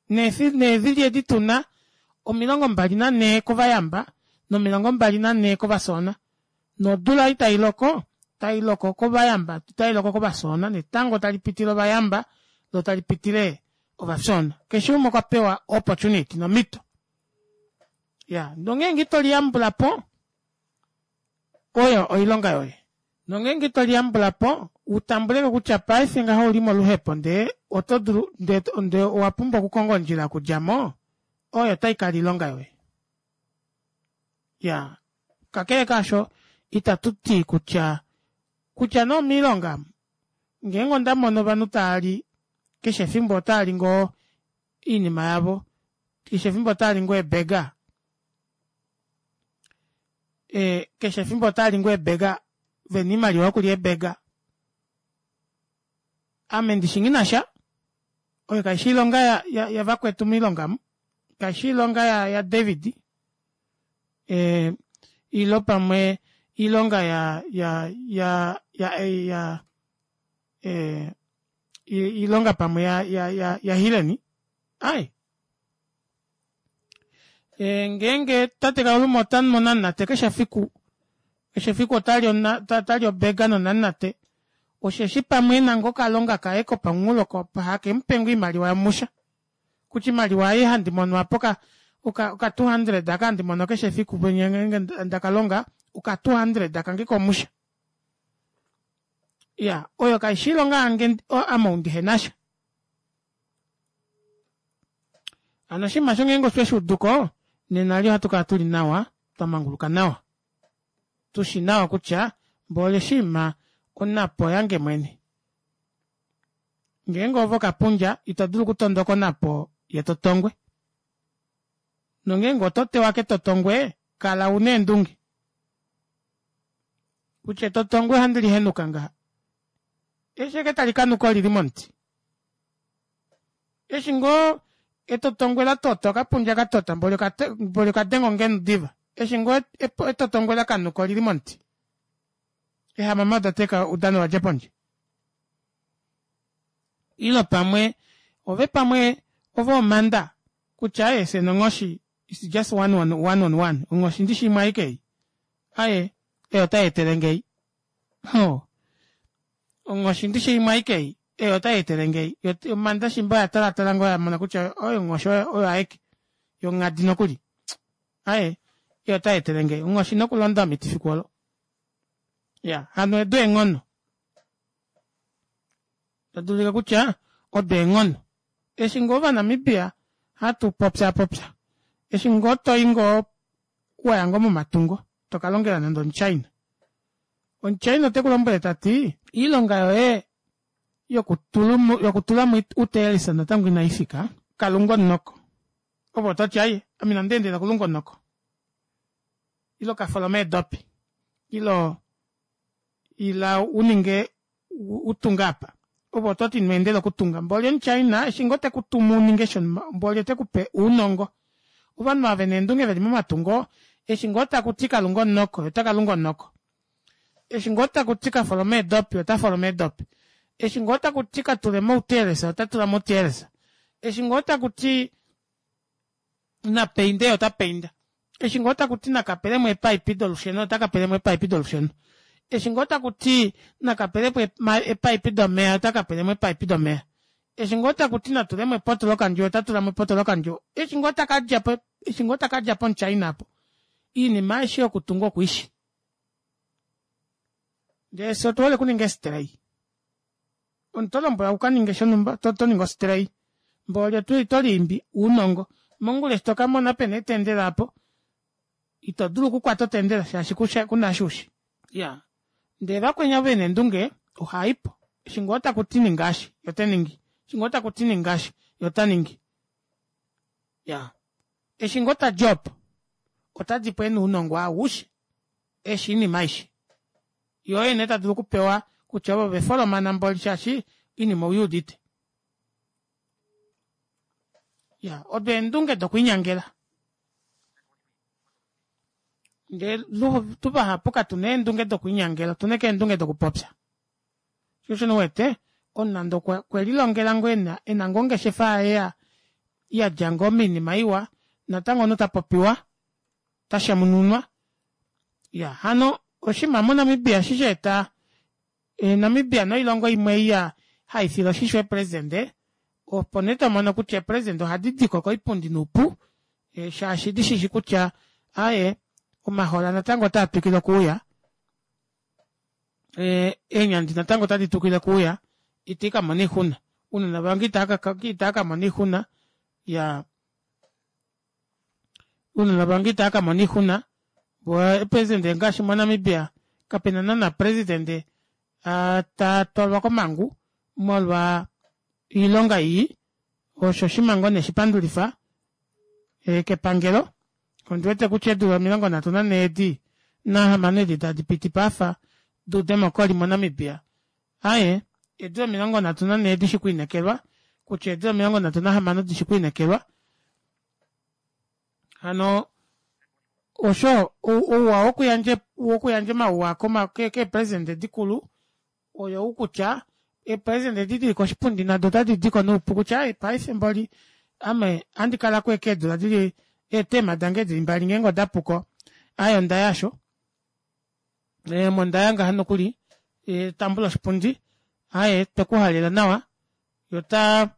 neevili edi tuna omilongo mbali nanhee kovayamba nomilongo mbali nanhee kovafyoona nodula ei tailoko otailoko kovayamba otailoko kovafyoona netango talipitile ovayamba loo talipitile ovafyoona keshe umwe okwapewa opportunity nomito iyaa nongeenge itoliyambulapo oyo oilonga yoye nongeenge itoliyambulapo utambuleko kutya paife ngaha ouli moluhepo ndee otodulu ndee owapumbwa okukonga ondjila yokudjamo oyo otaikala oilonga yoye iyaa kakele kaasho ita tuti kutya kutya nee omoilonga omu ngeenge ondamono ovanhu taali keshe efimbo otaali ngoo oinima yavo keshe efimbo otaali ngoo ee burger ee keshe efimbo otaali ngoo ee burger vena oimaliwa yokulya ee burger ame ndishi nghinasha oyo kaifi oilonga yavakwetu moilonga omu kaifi oilonga ya david ee ile pamwe oilonga ya ya ya ya ee oilonga pamwe ya ya ya hileni aaye ngeenge tate kauluma otanu onamunate keshe efiku keshe efiku otali o burger nonamunate osheshi pamwe ena ngoo okalonga kaye kopamunghulo hakemupe ngoo oimaliwa yomusha kutya oimaliwa ei handi mono aapa oka two hundred aka handi mono keshe efiku ngeenge ndakalonga oka two hundred kange komusha iyaa oyo kaifi oilonga yange ame ou ndihenasha hano oshinima aasho ngeenge otweshuuduko nena eli ohatukala tuli nawa twamanguluka nawa tushi nawa kutya mboli oshiima onapo oyange mwene ngeenge oove okapundja ito dulu okutondoka onapo yetotongwe nongeenge oto tewa ketotongwe kala una eendunge kutya etotongwe ohandi lihenuka ngaha eshi ashike talikanuka olili momuti eshi ngoo etotongwe latota okapundja katota mboli okadenga ongenu diva eshi ngoo etotongwe lakanuka olili momuti eehamama odateka oudano wadja pondje ile pamwe ove pamwe ove omanda kutya aaye fyee nonghoshi its just one on one on one onghoshi ndishi imwe aike ei aaye ei otayeetelenge ei hoo onghoshi ndishi imwe aike ei ei otayeetelenge ei yoo omanda shimba oya talatala ngoo yamona kutya oyo onghoshi oyo aike yonghadi nokuli aaye ei otayeetelenge ei onghoshi ina okulonda omiti fiku olo iyaa hano edo eenghono tadulike kutya odo eenghono eshi ngoo ovanamibia hatu popyapopya eshi ngoo toi ngoo waya ngoo momatungo tokalongela nande omuchina omuchina otekulombwele tati oilonga yoye yokutulamo uteelisa natango inaifika kalunga omunoko ove ototi aaye ame ina ndeendelela okulunga omunoko ile okafolome eedopi ile ila uninge utunge aapa ove ototi ino endela okutunga mboli omuchina eshi ngoo tekutumu uninge shonumba mboli otekupe ounongo ovanhu ava vena eendunge veli momatungo eshi ngoo takuti kalunga omunoko yee otakalunga omunoko eshi ngoo takuti kafolome eedopi ota foloma eedopi eshi ngoo takuti katulemo outelesa ota tulamo outelesa eshi ngoo takuti napainde yee ota painda eshi ngoo takuti nakapelemo eepipe dolusheno ota kapelemo eepipe dolusheno eshi ngoo takuti nakapelepo eepipe domeva ota kapelemo eepipe domeva eshi ngoo takuti natulemo epoto lokandjuwo ota tulamo epoto lokandjuwo eshi ngoo takadjapo eshi ngoo takadja pomuchina aapo oinima aishe yokutunga okuishi Ndee fye otuhole okuninga eestray. Omunhu tolombwelwa ukaninge shonumba toningi ostray mboli oto liimbi ounongo mongula eshi tokamona pena eetendela aapo ito dulu okukwata otendela shaashi kuna eshi ushi. Iyaa ndee vakweni ava vena eendunge ohaipo eshi ngoo takuti ninga eshi yee otaningi eshi ngoo takuti ninga eshi yee otaningi iyaa eshi ngoo tadi opo otadipo ena ounongo aushe eshi oinima aishe yee oye nee tadulu okupewa kutya ove ove folomana mboli shaashi oinima ouyuudite. Iya odo eendunge dokwiinyangela ndee tuvahapu katuna eendunge dokwiinyangela otuna ashike eendunge dokupopya shoo osho nee uwete omunhu nande okwelilongela ngoo ena ngoo ongeshefa yaye yadja ngoo moinima iwa natango omunhu tapopiwa tashemununwa iyaa hano oshinima mo namibia eshi shaeta namibia noilongo imwe ei haifile oshisho eepresident opo nee tomono kutya eepresident ohadi diko koipundi noupu shaashi dishishi kutya aaye omahola natango otaa twikile okuuya eenyandi natango otadi twikile okuuya itiikamona oixuna ounona vange itaakamona oixuna iyaa ounona vange itaakamona oixuna voo eepresident ngaashi mo namibia kapena naana president tatwalwa komangu molwa oilonga ii osho oshinima ngoo nee shipandulifa kepangelo ondiwete kutya eedula omilongo nhatu nanhee edi nahamano edi tadipiti paafa doudemocry mo namibia aaye eedula omilongo nhatu nanhee dishi kwiinekelwa kutya eedula omilongo nhatu nahamano dishi kwiinekelwa hano osho ouwa wokuyandja wokuyandja omauwa keepresident dikulu oyou kutya eepresident edi dili koshipundi nado otadi diko noupu kutya aaye paife mboli ame ohandi kalako ashike eedula dili eetema dange dili mbali ngeenge odapuko aaye ondaya aasho ame ondaya ngaha nokuli tambula oshipundi aaye twekuhalela nawa yee otaa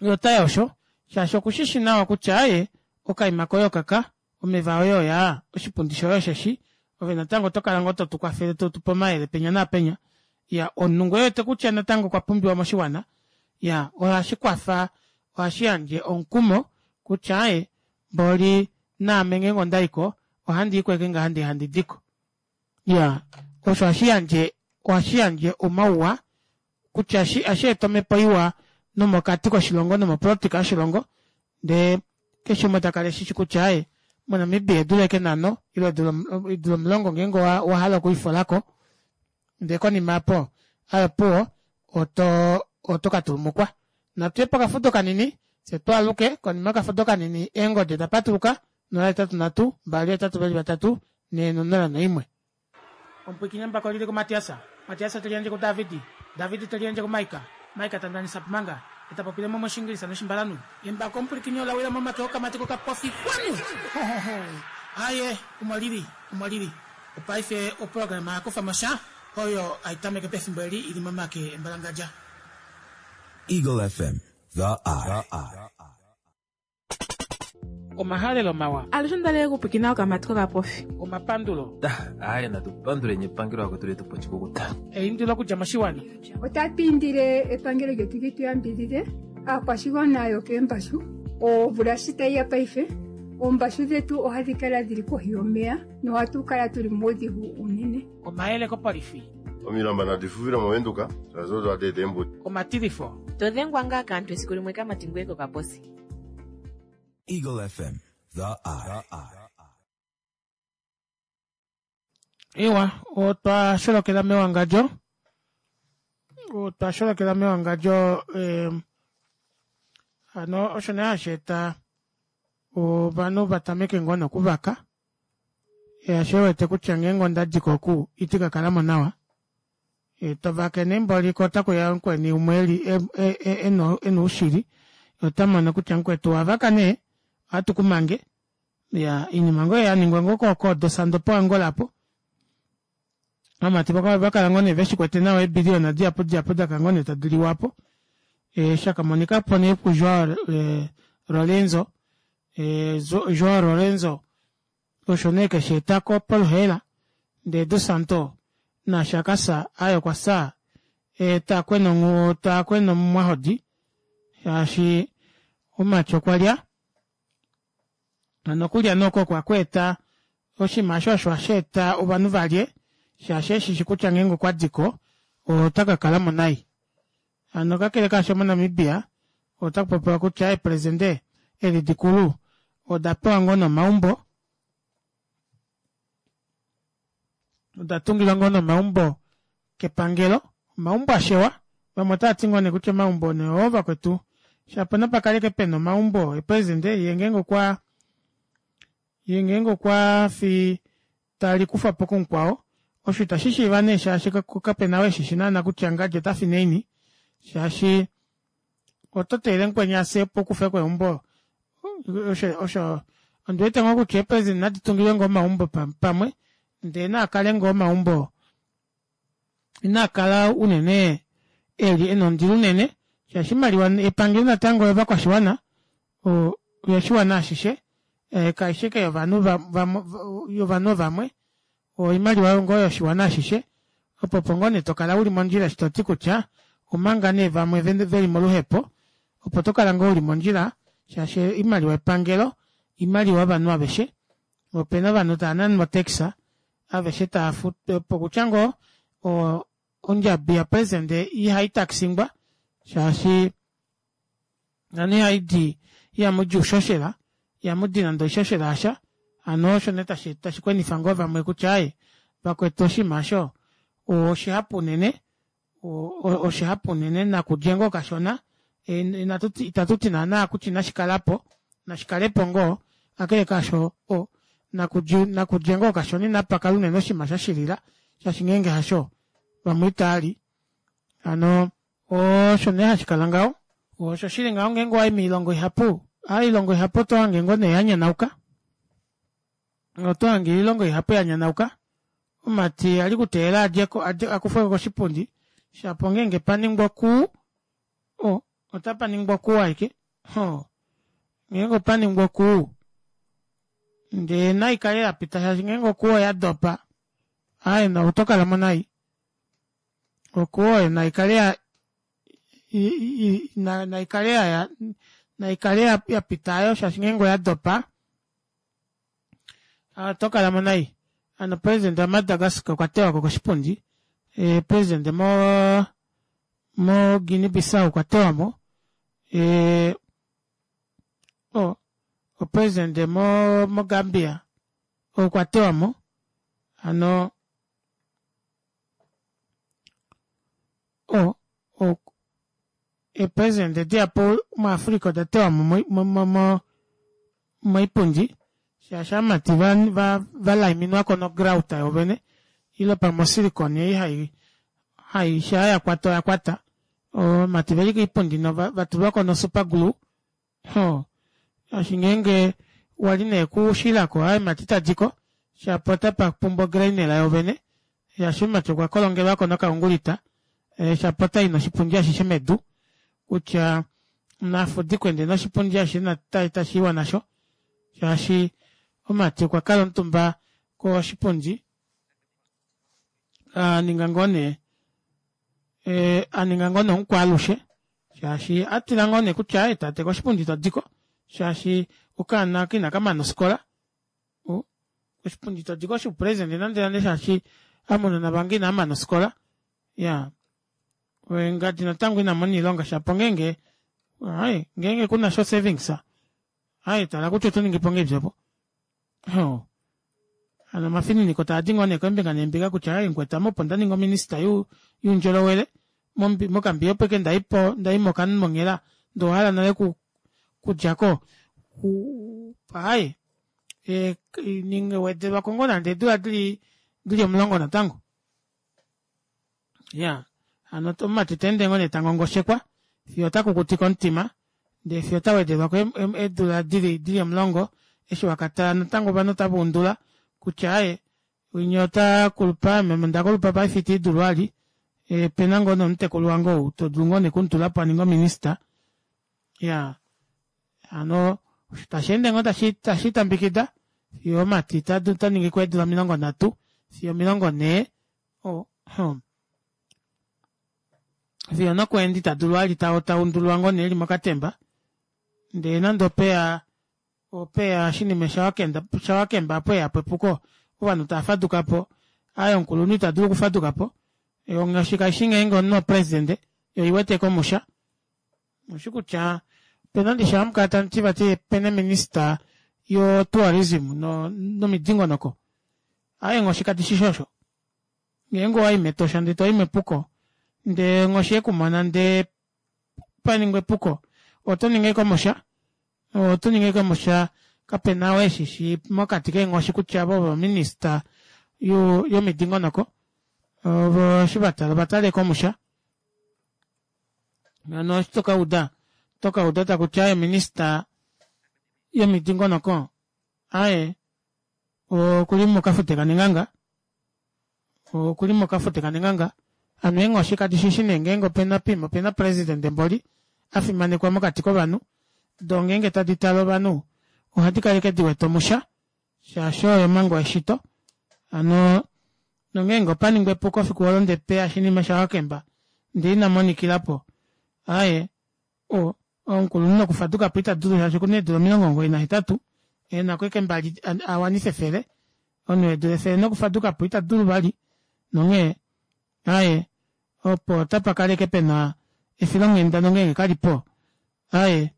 yee otayi osho shaashi okushishi nawa kutya aaye okaima koye okaka omeva oye oyaa oshipundi shoye osheshi ove natango otokala ngoo totukwafele totupe omayele penya naapenya iya omunhu ngoo ewete kutya natango okwa pumbiwa moshiwana iya ohashikwafa ohashiyandje omukumo kutya aaye mboli naame ngeenge ondayiko ohandiiko ashike ngaha ndee handi diko iya osho ohashiyandje ohashiyandje omauwa kutya ohasheeta omepo iwa nomokati koshilongo nomopolitika yoshilongo ndee keshe umwe takala eshishi kutya aaye mo Namibia eedula ashike nhano ile eedula omulongo ngeenge owahala okwiifolako ndee konima aapo aaye opuwo oto oto katulumukwa. Natuye pokafudo kanini fyee twaaluke konima yokafudo kanini eengodi oda patuluka nola hetatu nhatu mbali hetatu veli vatatu nhee nonola noimwe. Omupwiikini embako olili kuMatias, Matias te liyandje kuDavid, David te liyandje kuMaika, Maika ta ndanisa Pumanga, ye ta popile mo mOshiingilisa nOshimbalanhu. Embako omupwilikini ola wila momake okamati kokapofi kwanu! Hohoho! Aaye, omo lili, omo lili. Opaife oprograma ya kufa mo sha oyo hai tameke pefimbo eli i li momake embalangadja. Eagle F M, The Eye. Omahalelo mawa. Alushe onda li okupwikina okamati kokapofi. Omapandulo. Aaye natu panduleni epangelo akwetu letu po oshikukuta. Eindilo okudja moshiwana. Otatu indile epangelo lyetu li tu yambidhidhe aakwashigwana yokeembashu omvula shi tayi ya paife oombashu dhetu ohadhi kala dhili kohi yomeya nohatu kala tuli muudhigu uunene. Omayele kopolifi. Omilamba nadi fufile moVenduka shaashi odo hadi eta eembuto. Omatilifo. To dhengwa ngaa kaantu esiku limwe kamati ngweye kokaposi. Eagle F M, The Eye. Ewa, otwa sholokela mewangadjo. Otwa sholokela mewangadjo eh, hano osho nee hashi eta ovanhu va tameke ngoo nokuvaka shaashi wete kutya ngeenge onda diko oku iti ka kala mo nawa e, tovake nee mboli ko otakuya mukweni umwe eli e, e, ena oushili ota mono kutya mukwetu wavaka nee ohatu kumange ya iinima ngoo yaningwa ngoo koodosando poangola apo amati vakala ngoo nee veshikwete nawa eebiliyona dihapu dihapu daka ngoo nee tadi liwapo e, shakamonika po nee kuJoao e, Lorenzo e, Joao Lorenzo osho nee kesheetako poluheela ndee Dos Santos Naashi akafya aaye okwafya takwena takwena omumwahodi shaashi omumati okwalya hano okulya nee oko okwa oshinima aasho osho hasheeta ovanhu valye shaashi eshishi kutya ngeenge okwadiko otakakalamo nai. Hano kakele kaasho mo Namibia otakupopiwa kutya eepresidente edi dikulu oda pewa ngoo nee omaumbo oda tungilwa ngoo nee omaumbo kepangelo omaumbo ashewa vamwe otavati ngoo nee kutya omaumbo nee oo vakwetu shapo napakale ashike pena omaumbo eepresidente yee ngeenge okwa yee ngeenge okwaafi talikufwapo kumukwao osho ita shishiiva nee shaashi kapena ou eshishi naana kutya ngadi otafi naini shaashi oto teelele mukweni afye opo ukufeko eumbo osho ondiwete ngoo kutya eepresident nadi tungilwe ngoo omaumbo pamwe ndee naakale ngoo omaumbo inaakala unene eli ena ondilo unene shaashi oimaliwa yepangelo natango oyovakwashiwana oyoshiwana ashishe kaifi ashike yovanhu yovanhu vamwe oimaliwa ngoo yoshiwana ashishe opo opo ngoo nee tokala uli mondjila eshi toti kutya omanga nee vamwe veli moluhepo opo tokala ngoo uli mondjila shaashi oimaliwa yepangelo oimaliwa yovanhu aveshe opena ovanhu tavananwa o tax aveshe taafutu okutya ngoo ondjabi ya president ihaitaxingwa shaashi nani ihaidi ihamudi oushoshela ihamudi nande oishoshela yasha hano osho nee tashi kwenifa ngoo vamwe kutya aaye vakwetu oshinima aasho oshihapu unene oshihapu unene nakulye ngoo kashona itatuti naana kutya inashikalapo nashikalepo ngoo kakele kaasho nakulye ngoo kashona inapakala unene oshinima shashilila shaashi ngeenge hasho vamwe itaali hano osho nee hashikala ngaho osho shili ngaho ngeenge owayi moilongo ihapu oilongo ihapu otohange ngoo nee yanyanauka otohange oilongo ihapu yanyanauka omumati ali kuteelela adjeko akufweko koshipundi shapo ngeenge paningwa okuu otapaningwa okuu ashike ngeenge opaningwa okuu ndee naikale yapita shaashi ngeenge okuu oyadopa aaye otokalamo nai okuu oyo naikale naikale naikale yapita aayo shaashi ngeenge oyadopa otokalamo nai. Hano president wa Madagascar okwa tewako koshipundi president mo mo Guinea Bissau okwa tewamo o president mo Gambia okwa tewamo hano eepresident dihapu mu Africa oda tewamo moipundi shaashi ovamati valaiminwako no grout yoovene ile pamwe osilicon ei hai shaa yakwata oyakwata ovamati veli koipundi vatulwako no super glue shaashi ngeenge wali nee kushilako aaye mati itadiko shapo otapapumbwa ograinela yoovene shaashi omumati okwa kolongelwako nokaungulita shapo otayi noshipundi ashishe medu kutya nafudikwe ndee noshipundi ashishe tashiiwa nasho shaashi omumati okwakala omutumba koshipundi aninga ngoo nee aninga ngoo nee omukwaalushe shaashi atila ngoo nee kutya aaye tate koshipundi itodiko shaashi okaana aka inakamana ofikola koshipundi itodiko shoupresident nande nande shaashi amunona vange inavamana ofikola iyaa ngadi natango inamona oilonga shapo ngeenge aaye ngeenge kunasha o savings aaye tala kutya otoningipo ngahelipi aapo hano omafininiko taadi ngoo nee keembinga neembinga kutya aaye mukwetu ame opo ndaningi ominister youndjolowele mokambiya opo ashike ndaipo ndaimo onghela ndee owahala nale okudjako aaye wedelwako ngoo nande eedula dili omulongo natango iyaa hano omumati teende ngoo nee tangongoshekwa fiyo otakukutike omutima ndee fiyo otawedelwako eedula dili omulongo eshi wakatala natango ovanhu otavaundula kutya aaye winya otakulupa meme ondakulupa paife ita ndidulu vali opena ngoo nee omutekulu wange ou todulu ngoo nee okumutulapo aninge ominister iyaa hano tasheende ngooashitambikida fiyo omumati otaningiko eedula omilongo nhatu fiyo omilongo nhee Hmm. Fiyo nokweenda ita dulu vali taundulwa ngoo nee eli mokatemba ndee nande opeya opeya oshinima shawakemba opo epuko ovanhu tavafadukapo aaye omukulunhu itadulu okufadukapo onghoshi kaishi ngeenge omunhu opresident yoo oiwete ashike omusha oushi kutya opena ndishi hamukala tamuti vati opena ominister yo tourism nomidingonoko aaye eenghoshi kadishishi osho ngeenge owayi metosha ndee toyi mepuko ndee onghoshi yekumona ndee paningwa epuko otoningi ashike omusha otoningi ashike omusha kapena ou eshishi mokati keenghoshi kutya ava ovo minister yomidingonoko ovo eshi vatala ovatala ashike omusha hano eshi tokauda otokauda takuti aaye minister yomidingonoko aaye okuli mokafute kanenganga okuli mokafute kanenganga hano eenghoshi kadishishi nee ngenge opena poima opena president mboli afimanekwa mokati kovanhu doo ngeenge tadi tale ovanhu ohadi kala ashike diwete omusha shaashi oyo omhango yeshito hano nongeenge opaningwa epuko efiku oolo ndee peya oshinima shawakemba ndee inamonikilapo aaye oo omukulunhu nokufadukapo itadulu shaashi okuna eedula omilongo omugoyi nahetatu enako ashike mbali awanife efele omunhu weedula efele nokufadukapo itadulu vali nonghee aaye opo otapakala ashike pena efilonghenda nongenge kalipo aaye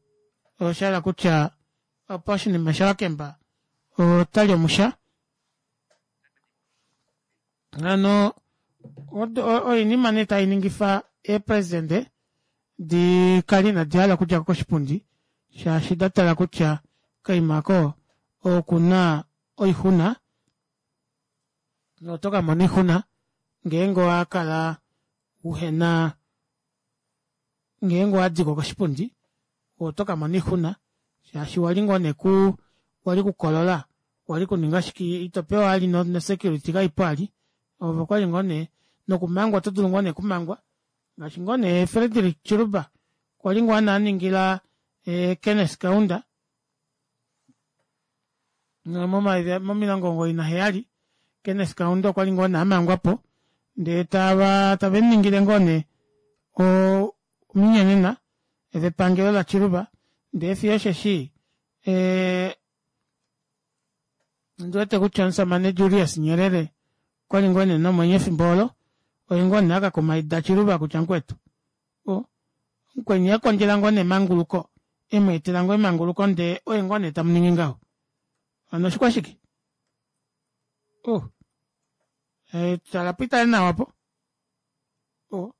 oshahala kutya opo oshinima shawakemba otali omusha hano oinima nee tainingifa eepresident dikale inadi hala okudjako koshipundi shaashi datala kutya okaima aako okuna oixuna notokamona oixuna ngeenge owakala uhena ngeenge owadiko koshipundi otokamona oixuna shaashi wali ngoo nee kuu wali kukolola wali kuninga shike itopewa vali no security kaipo vali ove okwali ngoo nee nokumangwa oto dulu ngoo nee okumangwa ngaashi ngoo nee Frederick Chiluba kwali ngoo nee aningila Kenneth Kaunda momilongo omugoyi naheyali Kenneth Kaunda okwali ngoo nee amangwapo ndee tava tavemuningile ngoo nee ominyonena vepangelo la Chiluba ndee fiyo osheshi ee ondiwete kutya omushamane Julius Nyerere okwali ngoo nee nomwenyo efimbo olo oye ngoo nee akakumaida Chiluba kutya mukwetu mukweni akondjela ngoo nee emanguluko emweetela ngoo emanguluko ndee oye ngoo nee tamuningi ngaho hano oshikwashike oh tala pitale nawa opo oh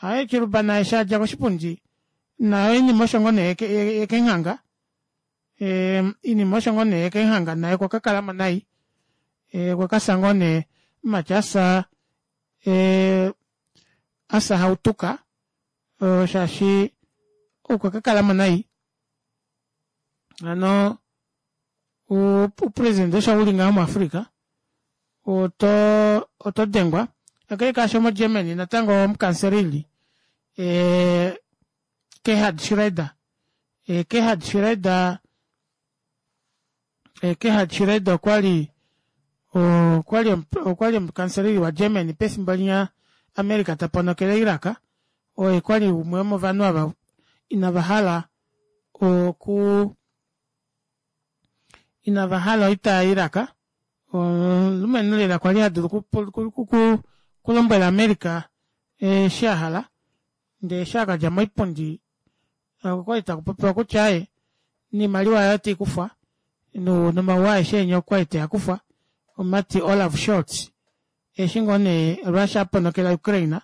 aaye Chiluba naye eshi adja koshipundi naye oinima osho ngoo nee yekenghanga oinima osho ngoo nee yekenghanga naye okwa kakalamo nai okwakafya ngoo nee omumati afya afya hautuka shaashi okwa kakalamo nai hano oupresident osho uli ngaho mu africa oto oto dengwa kakele kaasho mo Germany natango omukancelili Gerhard Schroeder Gerhard Schroeder Gerhard Schroeder okwali okwali okwali omukancelili wa Germany pefimbo linya America taponokele Iraq oye kwali umwe womovanhu ava inava oku inava hala oita ya Iraq omulumenhu lela kwali hadulu okulombwela America eshi ahala ndee eshi akadja moipundi okwali takupopiwa kutya aaye noimaliwa yaye oteikufwa nomauwa aeshe enya okwali teakufwa omumati Olaf Scholz eshi ngoo nee Russia aponokela Ukraine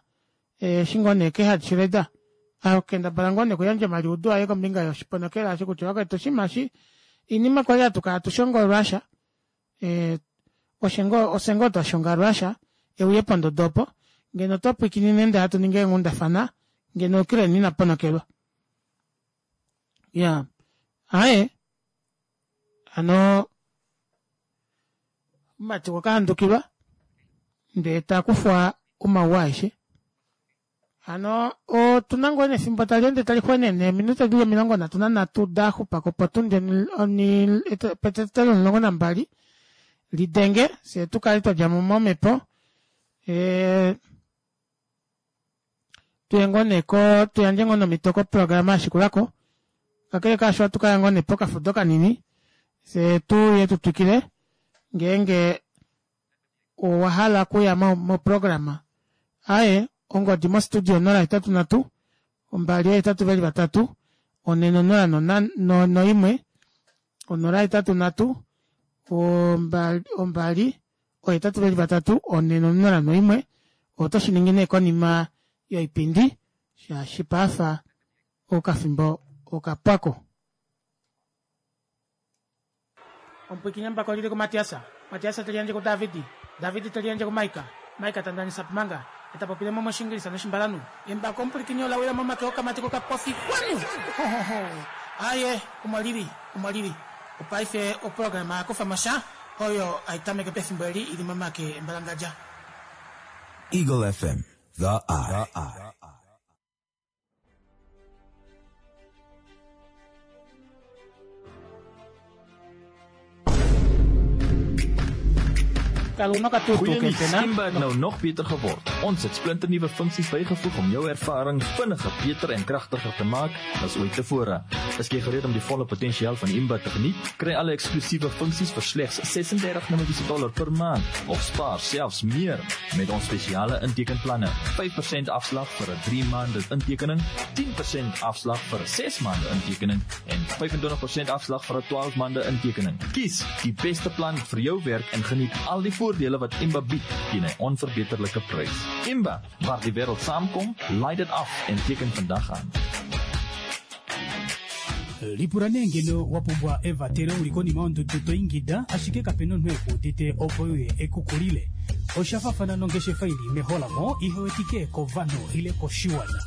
eshi ngoo nee Gerhard Schroeder akendabala ngoo nee okuyandja omaliudo aye kombinga yoshiponokela aasho kutya vakwetu oshinima eshi oinima kwali hatukala hatushongo Russia ofye ngoo twashonga Russia euye pondodo opo ngeno twapwikinine ndee hatu ningi eenghundafana ngeno Ukraine ina ponokelwa iyaa aaye hano omumati okwa kahandukilwa ndee takufwa omauwa aeshe hano otuna ngoo nee efimbo taleende talixwenene eminute dili omilongo nhatu nanhatu daxupako potundi petetelo omulongo nambali lidenge fyee tukale twadjamo momepo Ee tuye ngoo nee ko tuyandje ngoo nomito koprograma yashikulako kakele kaasho ohatukaya ngoo nee pokafudo kanini fyee tuuye tutwikile ngeenge owahala okuya moprograma aaye ongodi mo studio onola ohetatu nhatu ombali oohetatu veli vatatu onhe nonola noimwe onola ohetatu nhatu ombali oohetatu veli vatatu onhe nonola noimwe otoshiningi nee konima yoipindi shaashi paife okafimbo okapwako. Omupwiikini embako olili kuMatias, Matias teliyandje kuDavid, David teliyandje kuMaika, Maika tandanisa Pumanga, etapopile mo moshingilisa noshimbalanhu. Embako omupwilikini ola wila momake okamati kokapofi kwanu! Hohoho! Aaye, omo lili, omo lili. Opaife oprograma ya kufa mo sha, oyo hai tameke pefimbo eli ili momake embalangadja. Eagle F M, The Eye. Goeie Simba het nou nog beter geword. Ons het splinternuwe funksies bygevoeg om jou ervaring vinniger, beter en kragtiger te maak as ooit tevore. Is jy gereed om die volle potensiaal van Imba te geniet? Kry alle eksklusiewe funksies vir slegs sesendertig Namibiese dollar per maand of spaar selfs meer met ons spesiale intekenplanne. vyf persent afslag vir 'n drie maande intekening, tien persent afslag vir 'n ses maande intekening en vyf-en-twintig persent afslag vir 'n twaalf maande intekening. Kies die beste plan vir jou werk en geniet al die voordele wat Imba bied teen 'n onverbeterlike prys. Imba, waar die wêreld saamkom, laai dit af en teken vandag aan. Lipula nee ngeno wa pumbwa evatelo uli konima yondudu to ingida, ashike kape na omunhu e ku udite opo uye ekukulile. Osha fafana nongeshefa ili meholamo ihe wetike kovanhu ile koshiwana.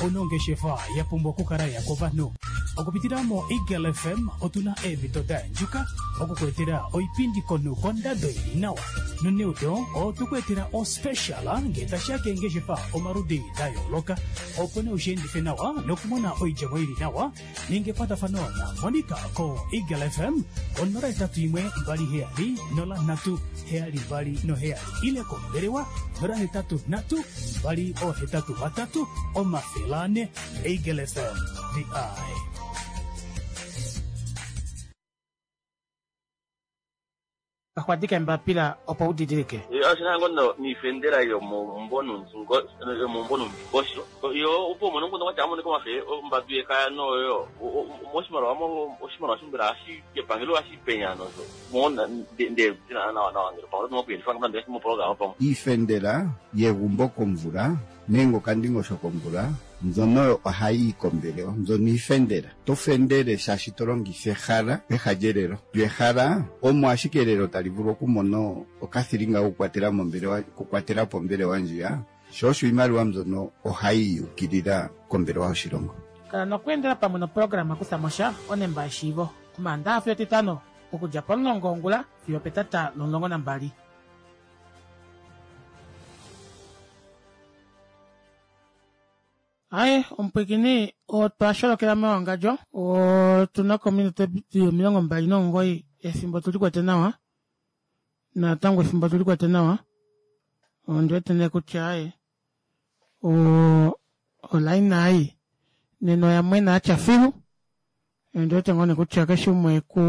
Onongeshefa ya pumbwa okukala ya kovanhu. Okupitila mo Eagle F M otuna eemhito da yandjuka okukuetela oipindi konhu kondado ili nawa. Noneudo otukuetela ospecial ngee tashiya keengeshefa omaludi da yooloka opo nee ushiendife nawa nokumona oidjemo ili nawa. Ninga ekwatafano na Monica ko Eagle F M onola hetatu imwe mbali heyali nola nhatu heyali mbali noheyali ile kombelewa nola hetatu nhatu mbali ohetatu vatatu omafele ane. Eagle F M, the eye. Kaxwadika embapila opo udidilike. Yo ashina ngono ni fendera yo mombono nzungo yo mombono mbosho. Yo upo mono ngono wacha amone komafe ombadu yekaya no yo moshimaliwa mo oshimaliwa shimbira ashi epangelo ashi penya no so. Mona de de na na na ngelo pa no kuyelifa ngamba mo program pa. Ifendera yegumbo komvula nenge okandingosho komvula mbyono ohayi yi kombelewa, mbyono iifendela. To fendele shaashi to longitha ehala peha lyelelo. Lyo ehala omo ashike elelo tali vulu okumona okathilinga kokukwatela mombelewa, okukwatela po ombelewa ndjiya. Sho osho iimaliwa mbyono ohayi yukilila kombelewa yoshilongo. Kala nokweendela pamwe noprograma kutha mo sha onemba yeshiivo. Omaandaha fiyo Etitano okudja pomulongo wongula fiyo opetata lomulongo nambali. Aye, omupwikini otwa sholokela mewangadjo, otuna kominute omilongo mbali nomugoyi efimbo tuli kwete nawa. Natango efimbo tuli kwete nawa. Ondi wete nee kutya aye, o-, olaina ai nena oya mwena atya filu. Ondi wete ngoo nee kutya keshe umwe ku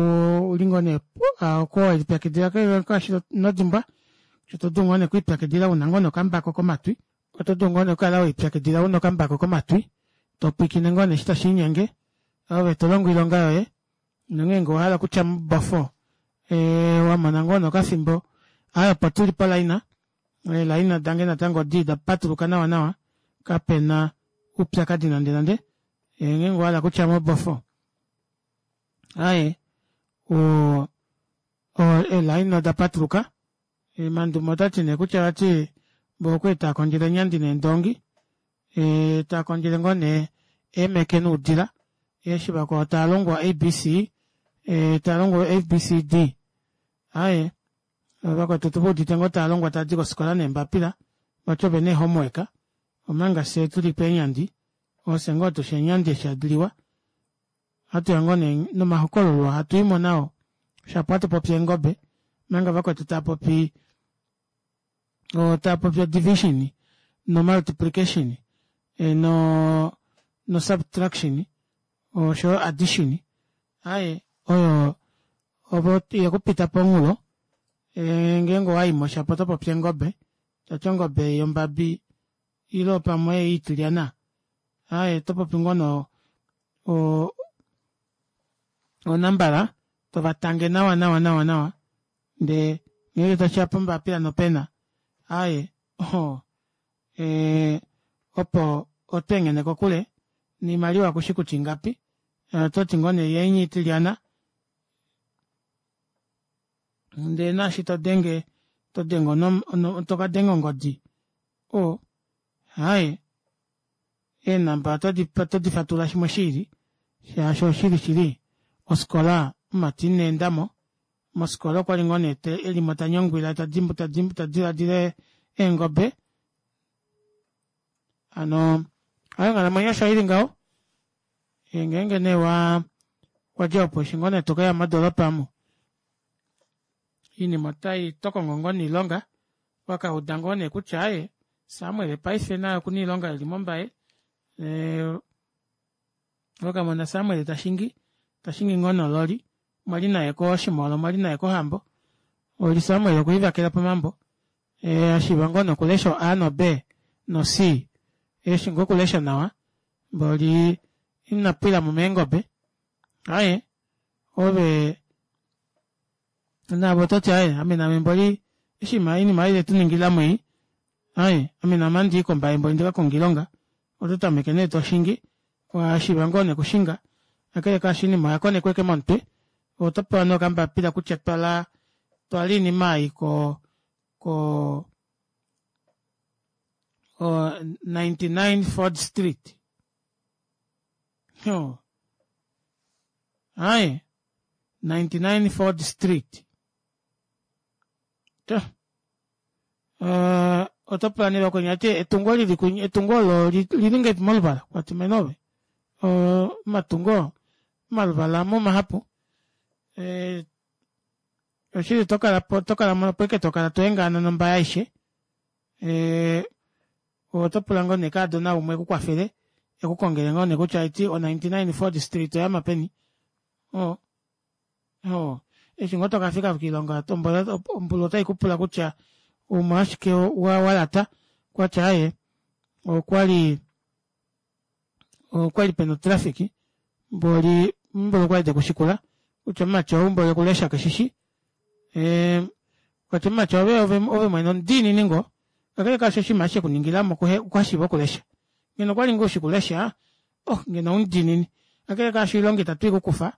li ngoo nee, oko welipyakidila ngaashi nodimbwa, kutya oto dulu ngoo nee okwiipyakidila una ngoo nee okambako komatwi. Oto dulu ngoo nee okukala welipyakidila una okambako komatwi, to pwiikine ngoo nee eshi tashi linyenge, ove to longo oilonga yoye, nongeenge owa hala okutya mubofo, ee, wa mona ngoo nee okafimbo, aye opo tuli polaina, eelaina dange natango odi da patuluka nawa nawa, kapena oupyakadi nande nande, ngeenge owa hala okutya mobofo, aye, o-, o-, eelaina oda patuluka, Mandume otati nee kutya vati bo okwe taa kondjele enyandi neendongi, e, taa kondjele ngoo nee eemeke noudila, eshi vakwao taa longwa A B C, e, taa longwa A B C D. Aye, vakwetu tu udite ngoo taa longwa taa di kofikola neembapila, vati ove na homework, omanga fye tuli peenyandi, ofye ngoo tushi eenyandi eshi hadi liwa, hatu ya ngoo nee nomahokololo ohatu i mo nao, shapo hatu popi eengobe, manga vakwetu taa popi Otapopi o-division no-multiplication no no-subtraction oshoyo addition. Aaye oyo oyo yekupita pomunghulo ngeenge owayimo shapo otopopi eengobe tati ongobe ei yombabi ile pamwe ei itilyana aaye otopopi ngoo nee o- onambala tovatange nawa nawa nawa ndee ngenge tashiya pombapila nopena aaye ohoo ee opo otweenghene kokule noimaliwa kushi kutya ingapi ototi ngoo nee yeenya itilyana ndee naashi todenge todenge tokadenga ongodi oo aaye eenamba otodi fatulula shimwe shiili shaashi oshili shili ofikola mumati ineendamo mofikola okwali ngoo nee elimo tanyangwila tadilaadila eengobe hano aaye onghalamwenyo osho ili ngaho ngeenge nee waa wadji opo eshi ngoo nee tokeya modoropa omu oinima otai otokongo ngoo nee oilonga wakauda ngoo neekutya aaye samuel paife naye okuna oilonga eli mombaye ee wakamona samuel tashingi tashingi ngoo nee ololi mwali naye koshimolo mwali naye kohambo mboli samuel okwiivakelapo pomambo ashiiva ngoo nee okulesha o a no b no c eshi ngoo okulesha nawa mboli inapwilamo meengobe aaye ove naave ototi aaye ame naame mboli eshi oinima ei vetuningilamo ei aaye ame naame ohandii kombaye mboli ndikakonge oilonga ototameke nee toshingi washiiva ngoo nee okushinga kakele kaasho oinima oyakonekwa ashike momutwe ove otopewa nee okambapila kutya twala twala oinima ei ko ko ninety nine ford street iyoo aaye ninety nine ford street otopewa nee vakweni tavati etungo lili kwinya etungo oolo olili ngahelipi moluvala kwati mene ove omatungo omaluvala amo omahapu oshili otokalapo opo ashike tokala twengaana nombaye aishe ee otopula ngoo nee kaadona umwe ekukwafele ekukongele ngoo nee kutya haiti o ninety nine ford street oyama peni oo oo eshi ngoo tokafika koilonga ombulu otaikupula kutya omolwashike walata okwati aaye okwali okwali pena otraffic mboli mboli okwali tekushikula kutya omumati ou mboli okulesha keshishi okwati mumati ove ove mwene omudiinini ngoo kakele kaasho oshinima eshi shekuningilamo kuhashiiva okulesha ngeno okwali ngoo ushi okulesha oh ngeno oumudiinini kakele kaasho oilonga ita tuikukufa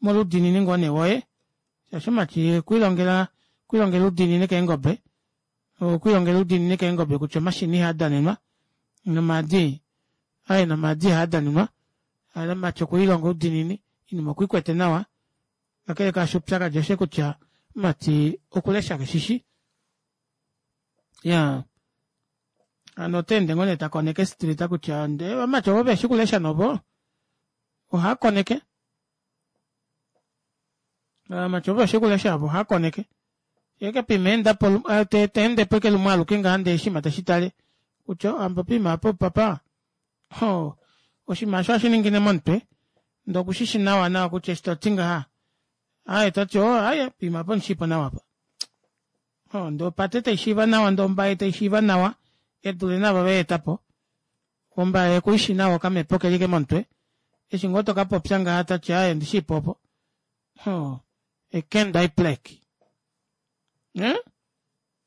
molwa oudiinini ngoo nee woye shaashi mumati okwiilongela okwiilongela oudiinini keengobe okwiilongela oudiinini keengobe kutya omashini ihaadanenwa nomaadi aaye nomaadi ihaadanenwa hano mumati okwiilonga oudiinini oinima okwiikwete nawa kakele kaasho oupyakadi oshosho kutya mumati okulesha keshishi iyaa hano otaende ngoo nee takoneke e street kutya ndee ovamati ovo veshi okulesha novo ohaakoneke ovamati ovo veshi okulesha ovo ohaakoneke yeeke poima aendapo teendepo ashike lumwe aluke ngaha ndee oshiima teshitale kutya hano poima aapa opapa ohoo oshinima aasho ohashiningine momutwe ndee okushishi nawa nawa kutya eshi toti ngaha aaye toti oo aaye poima aapa ondishiipo nawa aapa oo ndee opate taishiiva nawa ndee ombaye taishiiva nawa edule naava veyeetapo ombaye okuishi nawa okamepo okeli ashike momutwe eshi ngoo tokapopya ngaha tati aaye ondishiipo opo oo ekenda iplek ee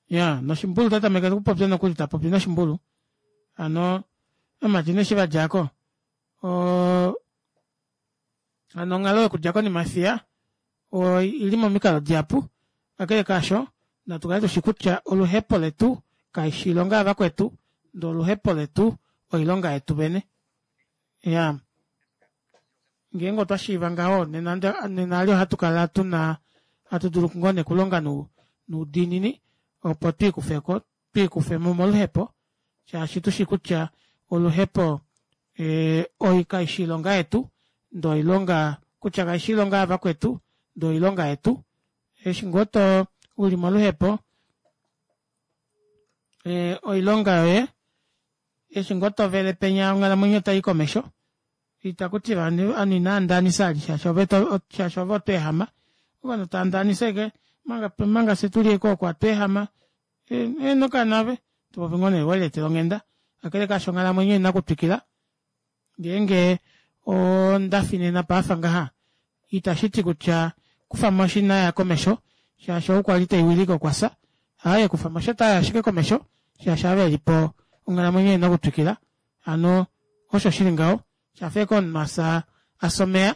iyaa noshimbulu otatameke okupopya nokuli tapopi noshimbulu hano ovamati nee eshi vadjako oo hano onghalo yokudja konima yefiya oili momikalo dihapu kakele kaasho natu kale tushi kutya oluhepo letu kaifi oilonga yavakwetu ndee oluhepo letu oilonga yetu vene iyaa ngeenge otwa shiiva ngaho nena nena eli ohatukala tuna hatu dulu ngoo nee okulonga noudiinini opo twiikufeko twiikufemo moluhepo shaashi tushi kutya oluhepo kaifi oilonga yetu ndee oilonga kutya kaifi oilonga yavakwetu ndee oilonga yetu eshi ngoo uli moluhepo E, oilonga yoye eshi ngoo tovele penya onghalamwenyo otai komesho itakutiwa ovanhu inaandaanisa vali shaashi ove shaashi ove otweehama ovanhu taandaanisa ashike omanga fyee tuli ashike oku atweehama eheno kaana ove topopi ngoo nee weleetela onghenda kakele kaasho onghalamwenyo oina okutwikila ngeenge ondafi nena paafa ngaha itashiti kutya kufamo inaya komesho shaashi ou kwali teiwilike okwafya aaye kufamosho otayi ashike komesho shaashi ava velipo onghalamwenyo oina okutwikila hano osho shili ngaho shafa ashike omunhu afya afya omeva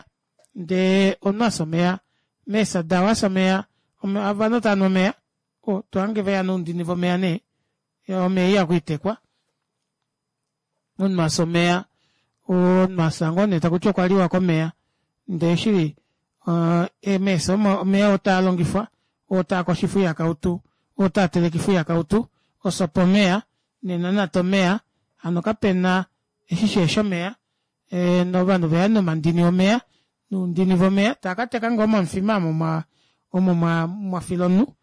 ndee omunhu afya omeva meefya dao afya omeva ovanhu otavanhu omeva tohange veya noundini vomeva nee omeva ihakwiitekwa omunhu afya omeva omunhu afya ngoo nee takuti okwaliwa komeva ndee shili meefya omo omeva otaalongifwa oo taakoshifwa oihakautu oo taatelekifwa oihakautu osopa omeva nenanata omeva hano kapena eshi shihefi omeva ovanhu oveya nomandini omeva noundini vomeva taakateka ngoo momufima omo omo mwafila omunhu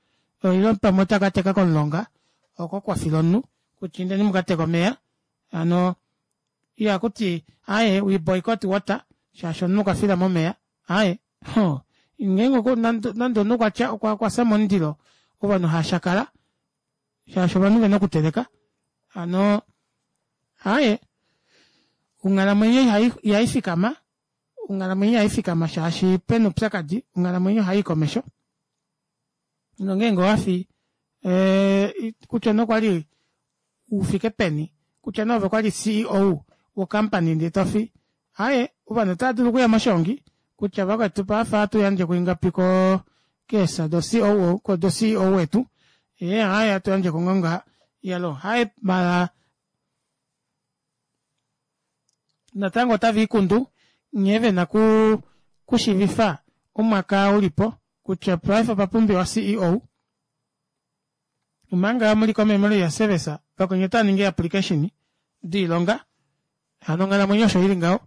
ile pamwe otakateka komulonga oko kwafila omunhu kutya indeni mukateke omeva hano ihakuti aaye we boycott water shaashi omunhu okwafila momeva aaye hoo ngeenge nande omunhu okwatya okwafya momundilo ovanhu hashakala shaashi ovanhu vena okuteleka hano aaye onghalamwenyo ihaifikama onghalamwenyo ihaifikama shaashi pena oupyakadi onghalamwenyo ohayi komesho nongeenge owafi kutya nee okwali ufike peni kutya nee ove okwali C E O wo company ndee tofi aaye ovanhu otaadulu okuya moshongi kutya vakwetu paife ohatu yandje ingapi koo keefya do C O O do C E O wetu ee aaye ohatu yandjeko ngoo ngaha iyaloo aaye maala natango otaviikundu nghee vena okushiivifa omwaka ulipo kutya paife opwa pumbiwa C E O omanga muli ko memorial service vakweni otaaningi ee application doilonga hano onghalamwenyo osho ili ngaho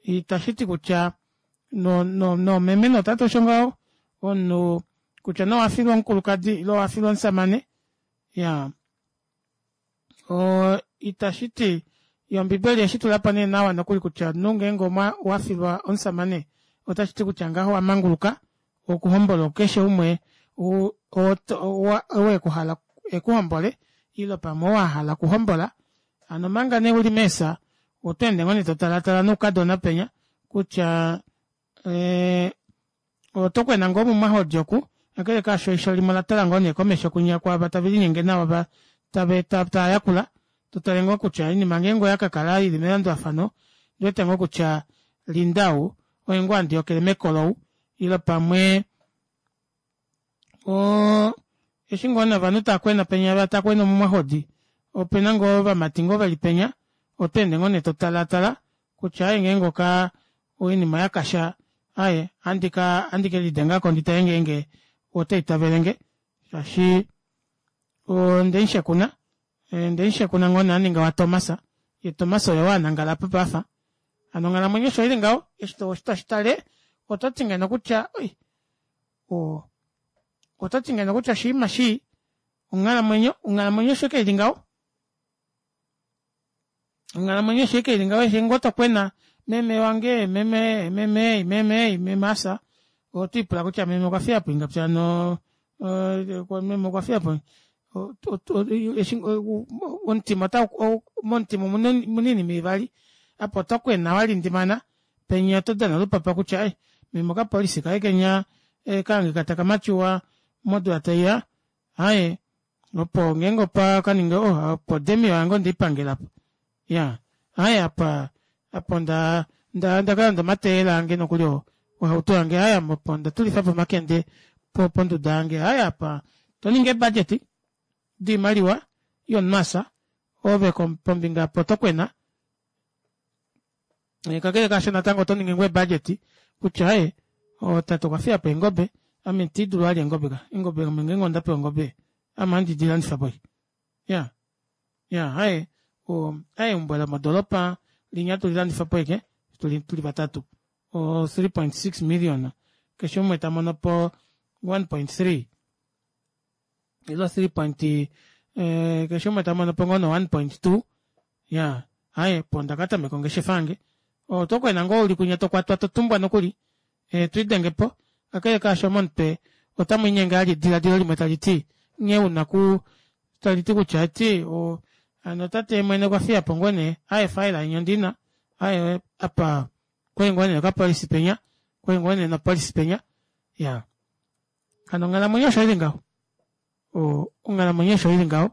itashiti kutya noomeme nootate osho ngaho omunhu kutya nee owafilwa omukulukadi ile owafilwa omushamane iyaa itashiti yoo ombibeli oyeshitulapo nee nawa nokuli kutya omunhu ngeenge owafilwa omushamane otashiti kutya ngaho owamanguluka okuhombola keshe umwe oo ekuhala ekuhombole ile pamwe oo ahala okuhombola hano omanga nee uli meefya otweende ngoo nee totalatala noukadona penya kutya otokwena ngoo mumahodi oku kakele kaasho eisho limwe olatala ngoo nee komesho kwinya kwaava tavelinyenge nawa tavayakula totale ngoo kutya oinima ngeenge oyakakala ili melandulafano ondiwete ngoo kutya Linda ou oye ngoo handi yokele mekolo ou ile pamwe oo eshi ngoo nee ovanhu taakwena penya takwena omumwahodi opena ngoo ovamati ngoo veli penya otweende ngoo nee totalaatala kutya aaye ngeenge oka oinima oyakasha aaye ohandi kelidengako nditale ngeenge otaitavelenge shaashi ondemushekuna ondemushekuna ngoo nee aninga wa Thomas yee Thomas oye oo anangala apa paafa hano onghalamwenyo osho ili ngaho eshi toshitale ototi ngeno kutya oi ototi ngeno kutya oshinima shii onghalamwenyo onghalamwenyo osho ashike ili ngaho onghalamwenyo osho ashike ili ngaho eshi ngoo tokwena meme wange meme meme meme meme afya otwiipula kutya meme okwafiyapo ingapi hano meme okwafiyapo omutima momutima omuna oinima ivali apa otokwena walindimana penya otodana olupapa kutya ai meme okapolicy kaye kenya kahangika taka mature modula taiya aaye opo ngeenge opakaningi oh opo demio yange ondeipangela aapa iyaa aaye apa apa onda ondakalanda omateyela ange nokuli ohauto yange aaye ame opo ondatulifapo omakende ponduda yange aaye apa toningi ee budget doimaliwa yomunhu afya ove pombinga aapa otokwena kakele kaasho natango otoningi ngoo ee budget kutya aaye tate okwafiyapo eengobe ame itiidulu vali eengobe ka eengobe ame ngeenge ondapewa ongobe ame ohandi dilandifapo iyaa iyaa aaye aaye eumbo lomodoropa linya atulilandifapo ashike tuli vatatu o three point six million keshe umwe tamonopo one point three ile three point Eh, keshe umwe tamono po ngoo no one point two ya aye po ndakatameka ongeshefa yange oto kwena ngoo uli kunya tokwatwa totumbwa nokuli eh, twidenge po kakele kaasho momutwe otamu inyenge ali ediladilo limwe tali ti nghee una ku tali ti kutya ti o hano tate mwene okwa fiya po ngoo nee aye faila inya ondina aye apa kwali ngoo nee okapolisi penya kwali ngoo nee nopolisi penya ya hano onghalamwenyo osho ili ngaho o onghalamwenyo osho ili ngaho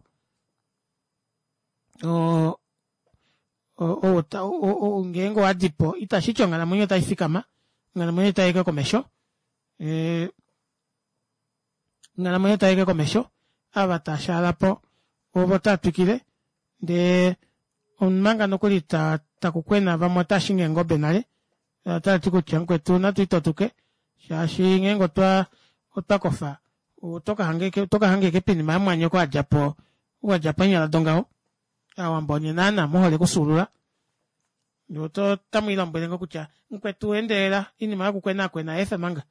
o o ngeenge owadipo itashiti onghalamwenyo otai fikama onghalamwenyo otayi komesho ee onghalamwenyo otayi komesho ava tashaalapo ovo tatwikile ndee omanga nokuli ta takukwena vamwe otashingi eengobe nale otati kutya mukwetu natu itotuke shaashi ngeenge otwa otwakofa otokahangeke otokahangeke pinima yamwanyoko adjapo wadjapo eenyala dongaho aawambo onye naana muhole okusuulula ndee oto otamwiilombwele ngoo kutya mukwetu endelela oinima yokukwenakwena eefa manga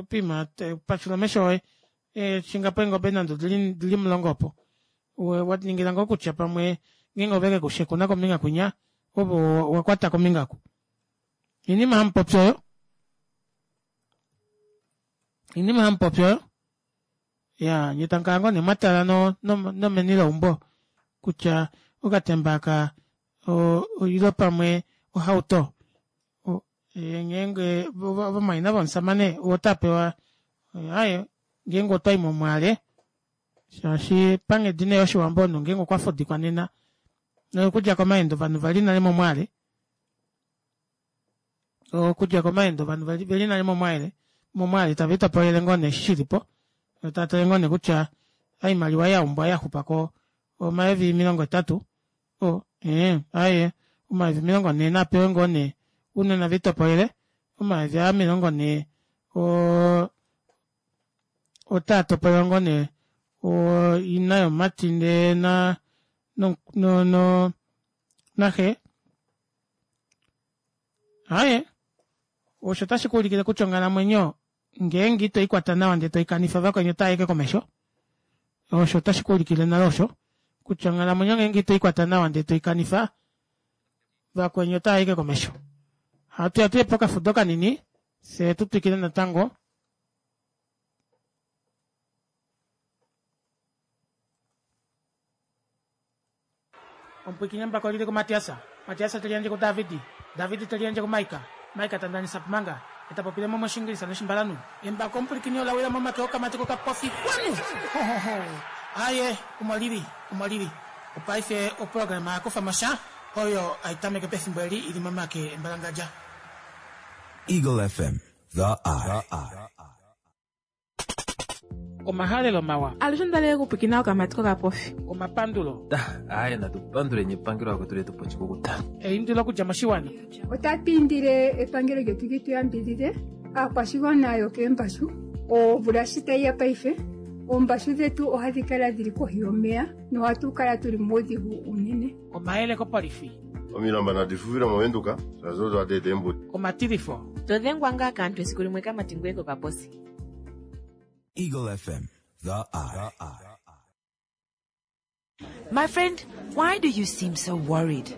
pima pashula omesho oye shingapo eengobe nande odili omulongo opo waningila ngoo kutya pamwe ngeenge ovekekushekuna kombinga kwinya ove owakwata kombinga oku oinima hamupopi oyo oinima hamupopi oyo iyaa nyee tamukala ngoo nee mwatala no nomeni leumbo kutya okatemba aka ile pamwe ohauto ngeenge ovamwaina vomushamane otapewa aaye ngeenge otwayi momwaale shaashi panghedi nee yoshiwambo omunhu ngeenge okwafudikwa nena nokudja komaendo ovanhu vali nale momwaale okudja komaendo ovanhu veli nale momwaale momwaale tave litopolele ngoo nee eshi shilipo taatale ngoo nee kutya oimaliwa yaumbwa yaxupako omayovi omilongo hetatu o ee aaye omayovi omilongo nhee napewe ngoo nee ounona velitopolele omayovi aa omilongo nhee oo otaatopolelwa ngoo nee ina yomumati ndee na no no naxe aaye osho otashi kuulikile kutya onghalamwenyo ngeenge ito ikwata nawa ndee toikanifa vakweni otaayi komesho osho otashi kuulikile nale osho kutya onghalamwenyo ngeenge ito ikwata nawa ndee toikanifa vakweni otaayi komesho hatuya tuye pokafudo kanini fyee tutwikile natango omupwiikini embako lili kuMatias Matias teliyandje kuDavid David teliyandje kuMaika Maika tandanisa manga etapopile mo moshingilisa noshimbalanhu embako omupwilikini olawila momake okamati kokapofi kwanu aye omo lili omo lili opaife oprograma yakufa oyo aitameke pefimbo eli ili momake embalangadja Eagle F M, The Eye. Omahalelo mawa. Alushe ndale kupikina okamati kokapofi. Omapandulo. Aye natupandule nepangelo akwetu letu pochikukuta. Eindilo okudja moshiwana. Otatu indile epangelo lyetu li tu yambidhidhe aakwashigwana yokeembashu omvula shi tayi ya paife oombashu dhetu ohadhi kala dhili kohi yomeya nohatu kala tuli muudhigu unene. Omayele kopolifi. Omilamba nadi fuvile movenduka shazo twateeta eembuto. Omatilifo. Todhengwa ngaa kaantu esiku limwe kamati ngoye kokaposi. Eagle F M, The Eye. My friend, why do you seem so worried?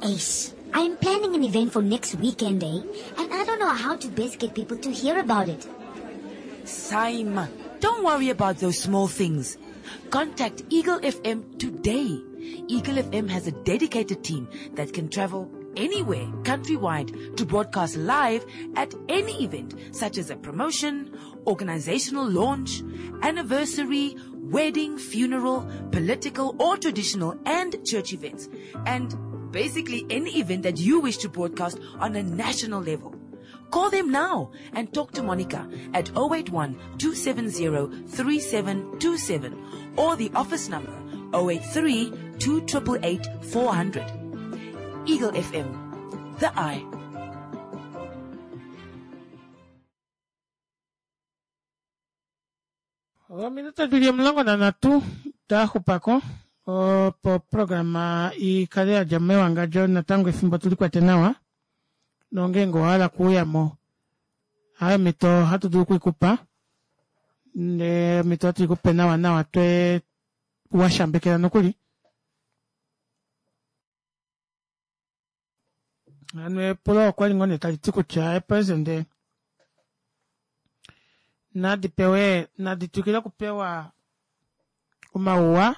Ace, I'm planning an event for next weekend, eh? And I don't know how to best get people to hear about it. Saima, don't worry about those small things. Contact Eagle F M today. Eagle F M has a dedicated team that can travel anywhere countrywide to broadcast live at any event, such as a promotion, organizational launch, anniversary, wedding, funeral, political or traditional and church events, and basically any event that you wish to broadcast on a national level. Call them now and talk to Monica at oh eight one, two seven zero, three seven two seven or the office number oh eight three, two triple eight, four hundred. Eagle F M, The Eye. Ominute dili omulongo nanhatu daxupako opo programa ikale yadja mewangadjo natango efimbo tulikwete nawa nongeenge owahala okuuyamo hayo omhito hatu dulu okuikupa ndee omhito hatu ikupe nawa nawa twe washambekela nokuli. Hano epulo okwali ngoo nee taliti kutya eepresident nadipewe nadi twikile okupewa omauwa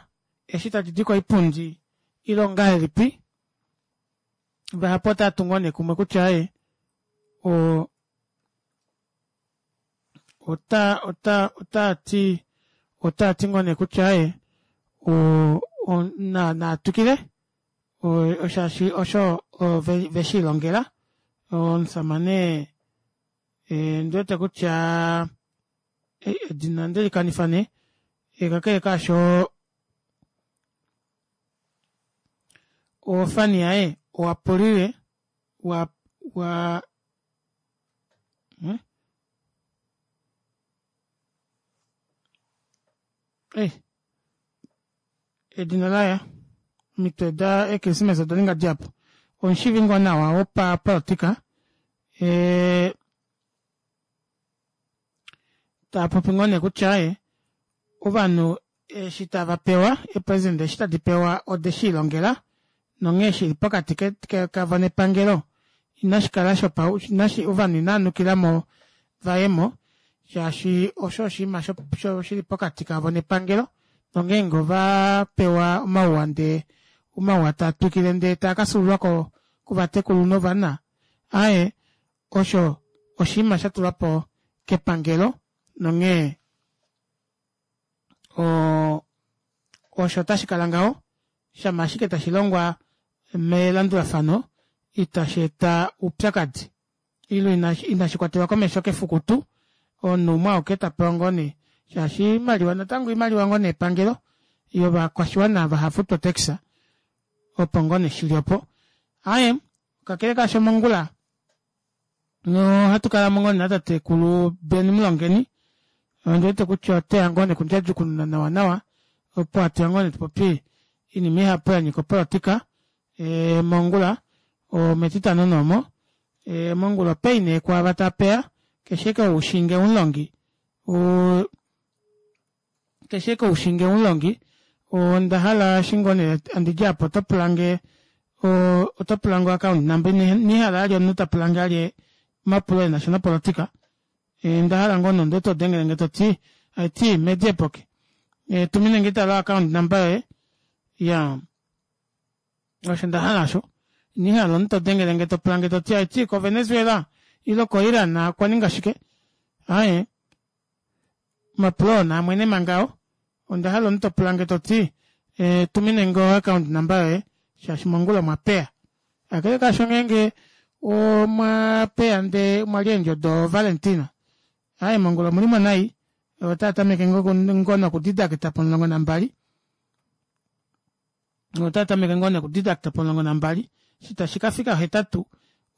eshi tadidi koipundi ile ongahelipi. Vahapu otavatu ngoo nee kumwe kutya aaye oo ota ota otaati otaati ngoo nee kutya aaye oo natwikile shaashi osho veshiilongela. Omushamane ondiwete kutya edina ondelikanifa nee kakele kaasho ofani yaye owapulile wa wa ee edina olaya omitwe eechristmas odaninga dihapu omushiivi ngoo nawa wopapolitika ee taapopi ngoo nee kutya aaye ovanhu eshi tavapewa eepresident eshi tadipewa odeshiilongela nonghee shili pokati kavo nepangelo inashikala ovanhu inava nukilamo vayemo shaashi osho oshinima shili pokati kavo nepangelo nongeenge ovapewa omauwa ndee omauwa taatwikile ndee taakafyuululwa kovatekulu novana aaye osho oshinima shatulwapo kepangelo nonghee oo osho tashikala ngaho shama ashike tashilongwa melandulafano ita sheeta oupyakadi ile inashikwatelwa komesho kefukutu omunhu umwe auke tapewa ngoo nee shaashi oimaliwa natango oimaliwa ngoo nee yepangelo yovakwashiwana ava havafutu otax opo ngoo nee shili opo. Aaye kakele kaasho mongula ohatukalamo ngoo nee natatekulu Ben Mulongeni ondiwete kutya oteya ngoo nee okundjadjukununa nawa nawa opo hatuya ngoo nee tupopye oinima ihapu yanyika opolitika mongula ometitano nee omo mongula o pay nee kwaava taapeya keshe ashike ou ushinge umulongi keshe ashike ushinge umulongi ondahala eshi ngoo nee handidi aapa otopulange otopulange o account number ina ndihala vali omunhu tapulange vali omapulo enasha nopolitika ondahala ngoo nee omunhu todengelenge toti haiti medi eepoki tuminenge tala o account number yoye iyaa osho ndahala aasho ina ndihala omunhu todengelenge topulange toti haiti ko venezuela ile ko iran okwaninga shike aaye omapulo oo naamwene manga oo ondahala omunhu topulange toti tuminenge o account number yoye shaashi mongula omwapeya. Kakele kaasho ngeenge omwapeya ndee omwalya eendjo do valentina aaye mongula omulimo nai otaatameke ngoo noku deducta pomulongo nambali otaatameke ngoo nee oku deducta pomulongo nambali eshi tashikafika ohetatu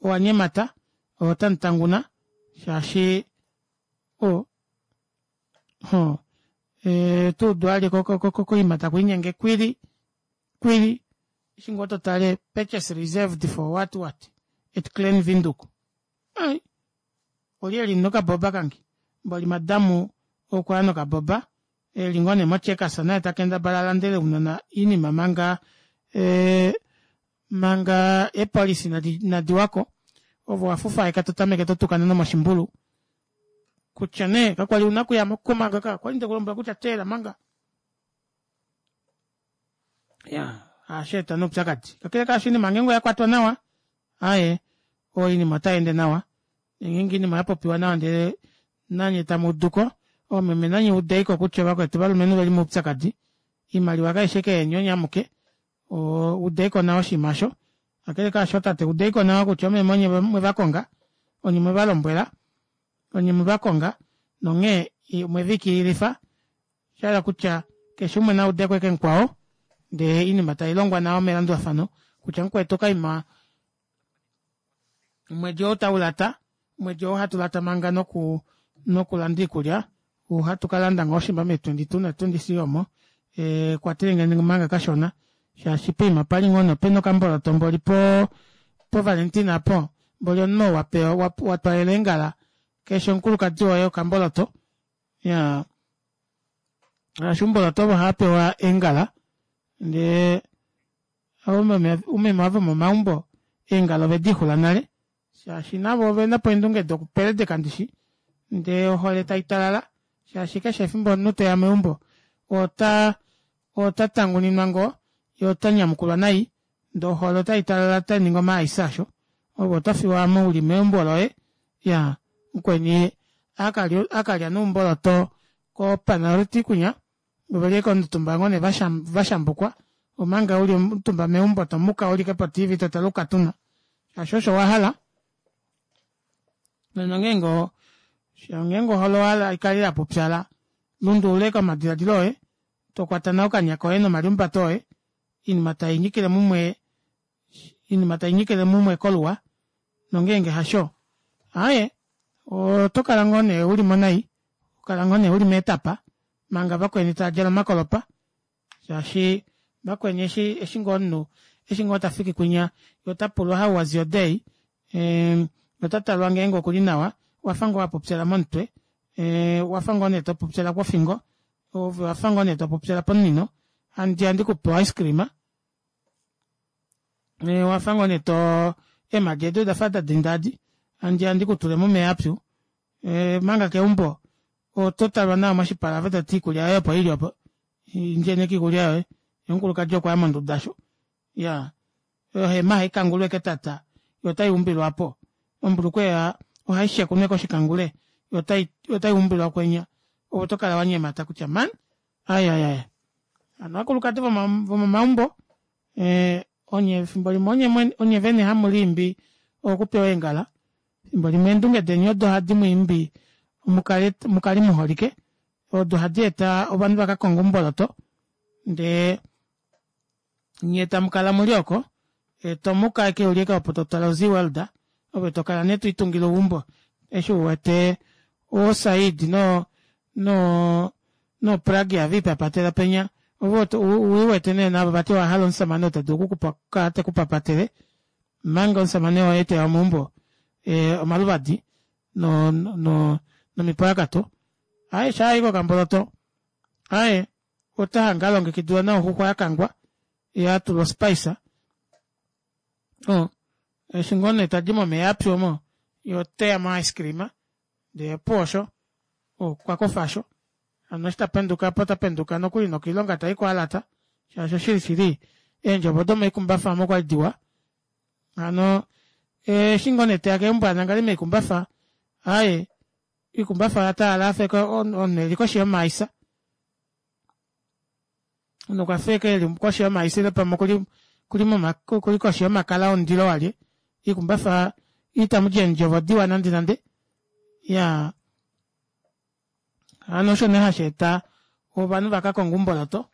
owanyemata otamutanguna shaashi oo otuudu vali koima takwiinyenge kwili kwili eshi ngoo totale purchase reserved for what what at Klein Windhoek ai olye eli nokaboba kange mboli madamu okwaya nokaboba eli ngoo nee mo checkers naye takendabala alandele ounona oinima manga manga eepolice inadiwako ove owafufaeka totameke totukana nomoshimbulu kutya nee kakwali una okuyamo manga okwali ndekulombwela kutya teelela manga iyaa ohasheeta nee oupyakadi kakele kaasho oinima ngeenge oyakwatwa nawa aaye oinima otayeende nawa ngeenge oinima oyapopiwa nawa ndee nanye tamuuduko oomeme nanye udeiko kutya vakwetu ovalumenhu oveli moupyakadi oimaliwa kaifi ashike yeni onye amuke udeiko nawa oshinima aasho kakele kaasho tate udeiko nawa kutya oomeme onye mwevakonga onye mwevalombwela onye mwevakonga nonghee omweviikililifa oshahala kutya keshe umwe naudeko ashike mukwao ndee oinima tailongwa nawa melandulafano kutya mukwetu okaima omwedi ou taulata omwedi ou hatulata manga noku nokulanda oikulya ohatu kalanda ngoo shimba mee twenty two na twenty three omo kwatelenge manga kashona shaashi poima opali ngoo nee opena okamboloto mboli po po valentina aapo mboli omunhu oo wapewa watwaalela eengala keshe omukulukadi woye okamboloto iyaa Shaashi oumboloto ovo ohaapewa eengala ndee oumeme ava vomomaumbo eengala ovediixula nale shaashi navo ovenapo eendunge dokupeledeka ndishi ndee ohole taitalala shaashi keshe efimbo omunhu teya meumbo ota ota tanguninwa ngoo yee otanyamukulwa nai ndee ohole otaitalala otainingi omaice aasho ove otofiwa aamo uli meumbo loye iyaa mukweni akalya nee oumboloto ko panaliti kwinya oveli ashike omutumba ngoo nee vashambukwa omanga uli omutumba meumbo tomuka uli ashike po T V totale oukatuna shaashi osho wahala. Nongeenge ngeenge ohole owahala ikale yapupyala lundulula ashike omadilaadilo oye tokwata nawa okanya koye nomalihumbato oye oinima tainyikile mumwe oinima tainyikile mumwe koluwa nongeenge hasho aaye otokala ngoo nee ulimo nai tokala ngoo nee uli meetapa manga vakweni taadjala omakolopa shaashi vakweni eshi eshi ngoo omunhu eshi ngoo tafiki kwinya yee otapulwa how was your day ee otatalwa ngeenge okuli nawa owafa ngoo wapupyala momutwe ee owafa ngoo nee topupyala pofingo ove owafa ngoo nee topupyala pomunino handiya ndikupe o ice cream owafa ngoo nee too eemadi edi odafa dadinda edi handiya ndikutule momeva apyu omanga keumbo ototalwa nawa moshipala ove toti oikulya yoye opo ili opo indjeni ashike oikulya yoye yee omukulukadi okwaya monduda aasho iyaa ohema ohaikangulwa ashike ketata yoo otayiumbilwa aapo ombulukweya ohaishekunwa koshikangule yoo otaiumbilwa kwenya ove otokala wanyemata kutya mani aaye aaye hano ovakulukadi vomomaumbo ee onye efimbo limwe onye vene hamuliimbi okupewa eengala efimbo limwe eendunge deni odo hadi mwiimbi mukale mukale muholike odo hadi eta ovanhu vakakonge oumboloto ndee nyee tamukala muli oko tomuka ashike uli ashike opo totale o zeaworld ove tokala nee twiitungile eumbo eshi uwete oo said no no no pragya viipapatela penya ove uwete nee navo vati owahala omushamane oo tadulu okukupa okukala tekupapatele omanga omushamane woye teya meumbo omaluvadi no no nomipwalakato aaye shaayi kokamboloto aaye otahange alongekidilwa nawa oxuxwa yakangwa yatulwa o spice oo eshi ngoo nee tadi momeva apyu omo yee oteya mo ice cream ndee opuwo osho okwakofa aasho hano eshi tapendukapo otapenduka nokuli nokoilonga taiko alata shaashi oshili shili eendjovo domoikumbafa aamo okwali diwa hano eshi ngoo nee teya keumbo anangale moikumbafa aaye oikumbafa oyatalala afa ashike omunhu eli koshi yomaisa omunhu okwafa ashike eli koshi yomaisa ile pamwe okuli okuli moma okuli koshi yomakala omundilo walye oikumbafa itamudi eendjovo diwa nande nande iyaa hano osho nee hasheeta ovanhu vakakonge oumboloto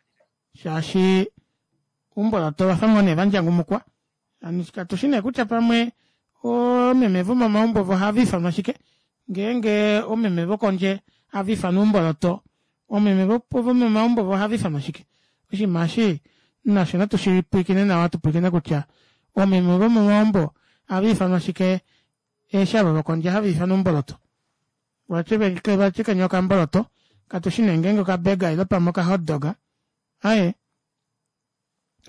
shaashi oumboloto ovafa ngoo nee vandjangumukwa katushi nee kutya pamwe oomeme vomomaumbo vo ohava ifanwa shike ngeenge oomeme vokondje hava ifanwa oumboloto oomeme vomomaumbo vo ohava ifanwa shike oshinima eshi nasho natu shipwiikine nawa tupwiikine kutya oomeme vomomaumbo ohava ifanwa shike eshi ava vokondje hava ifanwa oumboloto vati kenya okamboloto katushi nee ngeenge oka burger ile pamwe oka hotdog aaye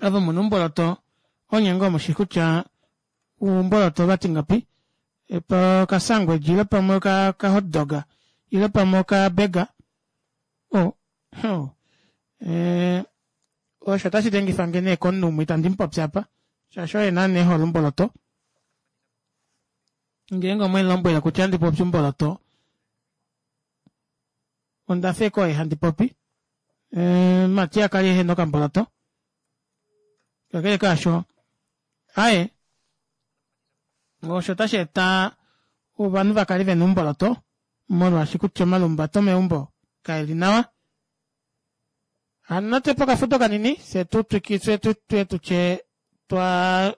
ove muna oumboloto onye ngoo mushi kutya oumboloto vati ngapi okasangweji ile pamwe oka hotdog ile pamwe oka burger oh ee osho otashi dengifange nee komunhu umwe itandi mupopi apa shaashi oye naana ehole omboloto ngeenge omwemulombwele kutya ohandi popi omboloto ondafa ashike oye handi popi Matia kali ehena okamboloto kakele kaasho aaye osho otashi eta ovanhu vakale vena oumboloto molwaashi kutya omalumbato meumbo kaeli nawa hano natuye pokafudo kanini fyee tutwiki fyee tutye twa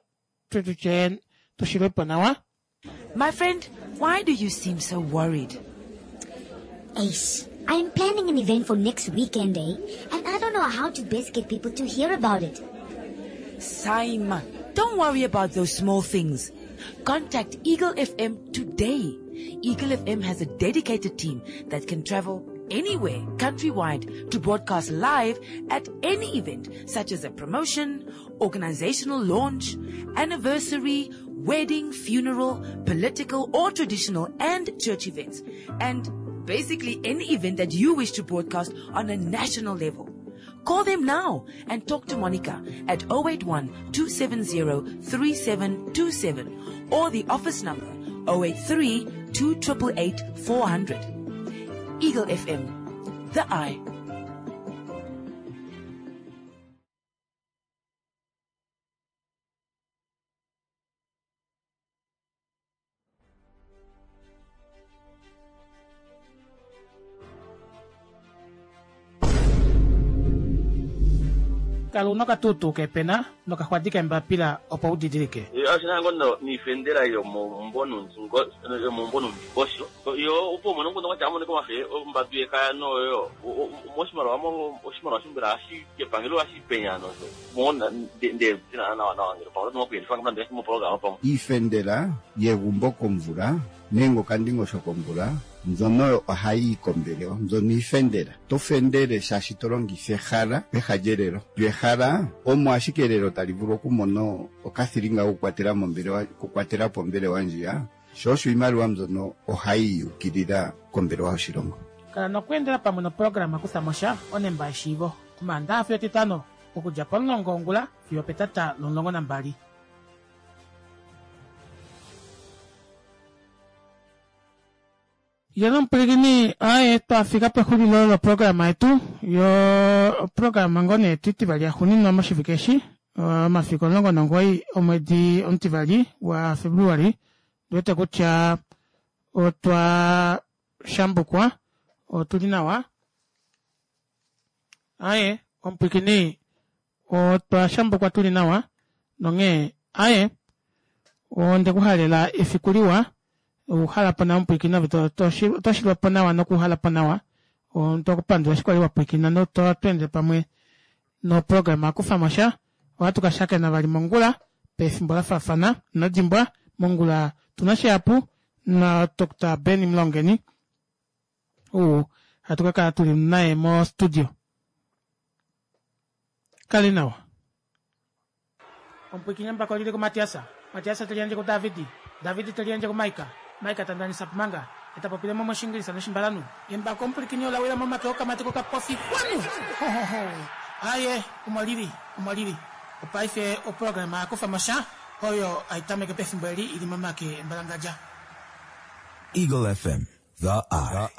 tutye tushilwepo nawa. My friend, why do you seem so worried? Ace, I'm planning an event for next weekend, eh? And I don't know how to best get people to hear about it. Saima, don't worry about those small things. Contact Eagle F M today. Eagle F M has a dedicated team that can travel anywhere countrywide to broadcast live at any event such as a promotion, organizational launch, anniversary, wedding, funeral, political or traditional and church events, and basically any event that you wish to broadcast on a national level. Call them now and talk to Monica at oh eight one, two seven zero, three seven two seven or the office number oh eight three, two triple eight, four hundred. Eagle F M, the eye. Kala una okatutu kepena nokaxwadi kembapila opo udidilike. Ashina ngono niifendela yomombonundingosho yo opo mono ngono kwatya amoneka omafe ombadu yekaya noyo moshimaliwa oshimaliwa shombela hashi kepangelo hashi penya nosho mona nde nawa nawa ngele pamwe oto kuyelifa nande moprograma pamwe. Iifendela yegumbo komvula nenge okandingosho komvula mbyono ohayi kombelewa, mbyono iifendela. To fendele shaashi to longitha ehala peha lyelelo. Lyo ehala omo ashike elelo tali vulu okumona okathilinga kokukwatela mombelewa, okukwatela po ombelewa ndjiya. Sho osho iimaliwa mbyono ohayi ukilila kombelewa yoshilongo. Kala nokweendela pamwe noprograma kutha mo sha onemba yeshiivo. Omaandaha fiyo Etitano okudja pomulongo wongula fiyo petata lomulongo nambali. Yena omupwilikini, aye twafika pexulilo loprograma yetu yo programa ngoo nee etivali yaxuuninwa moshivike eshi, omafiku omulongo nomugoyi omwedi omutivali wa February. Ndiwete kutya otwa shambukwa, otuli nawa. Aye omupwilikini, otwa shambukwa tuli nawa nonghee aye ondekuhalela efiku liwa. Uhala po nawa omupwilikini, oto shilwa po nawa nokuhala po nawa. Otokupandula eshi kwali wapwilikina notwatweende pamwe noprograma akufa mo sha. Ohatu ka shakena vali mongula pefimbo la faafana. Inodimbwa mongula tuna shihapu na Doctor Benny Mlongeni ou hatu ka kala tuli naye mo studio. Kali nawa. Omupwilikini mbako lili ku Matiasa. Matiasa teliandje ku Davidi. Davidi teliandje ku Maika. Maika tandanisa pumanga. Eta popile mo moshingilisa noshimbalanu. Embako omupwilikini olawila momake okamati kokapofi kwanu. Ho, ho, ho. Aye, omo lili, omo lili. Opaife oprograma yakufa mo sha oyo aitameke pefimbo eli ili momake embalangadja. Eagle F M, the eye.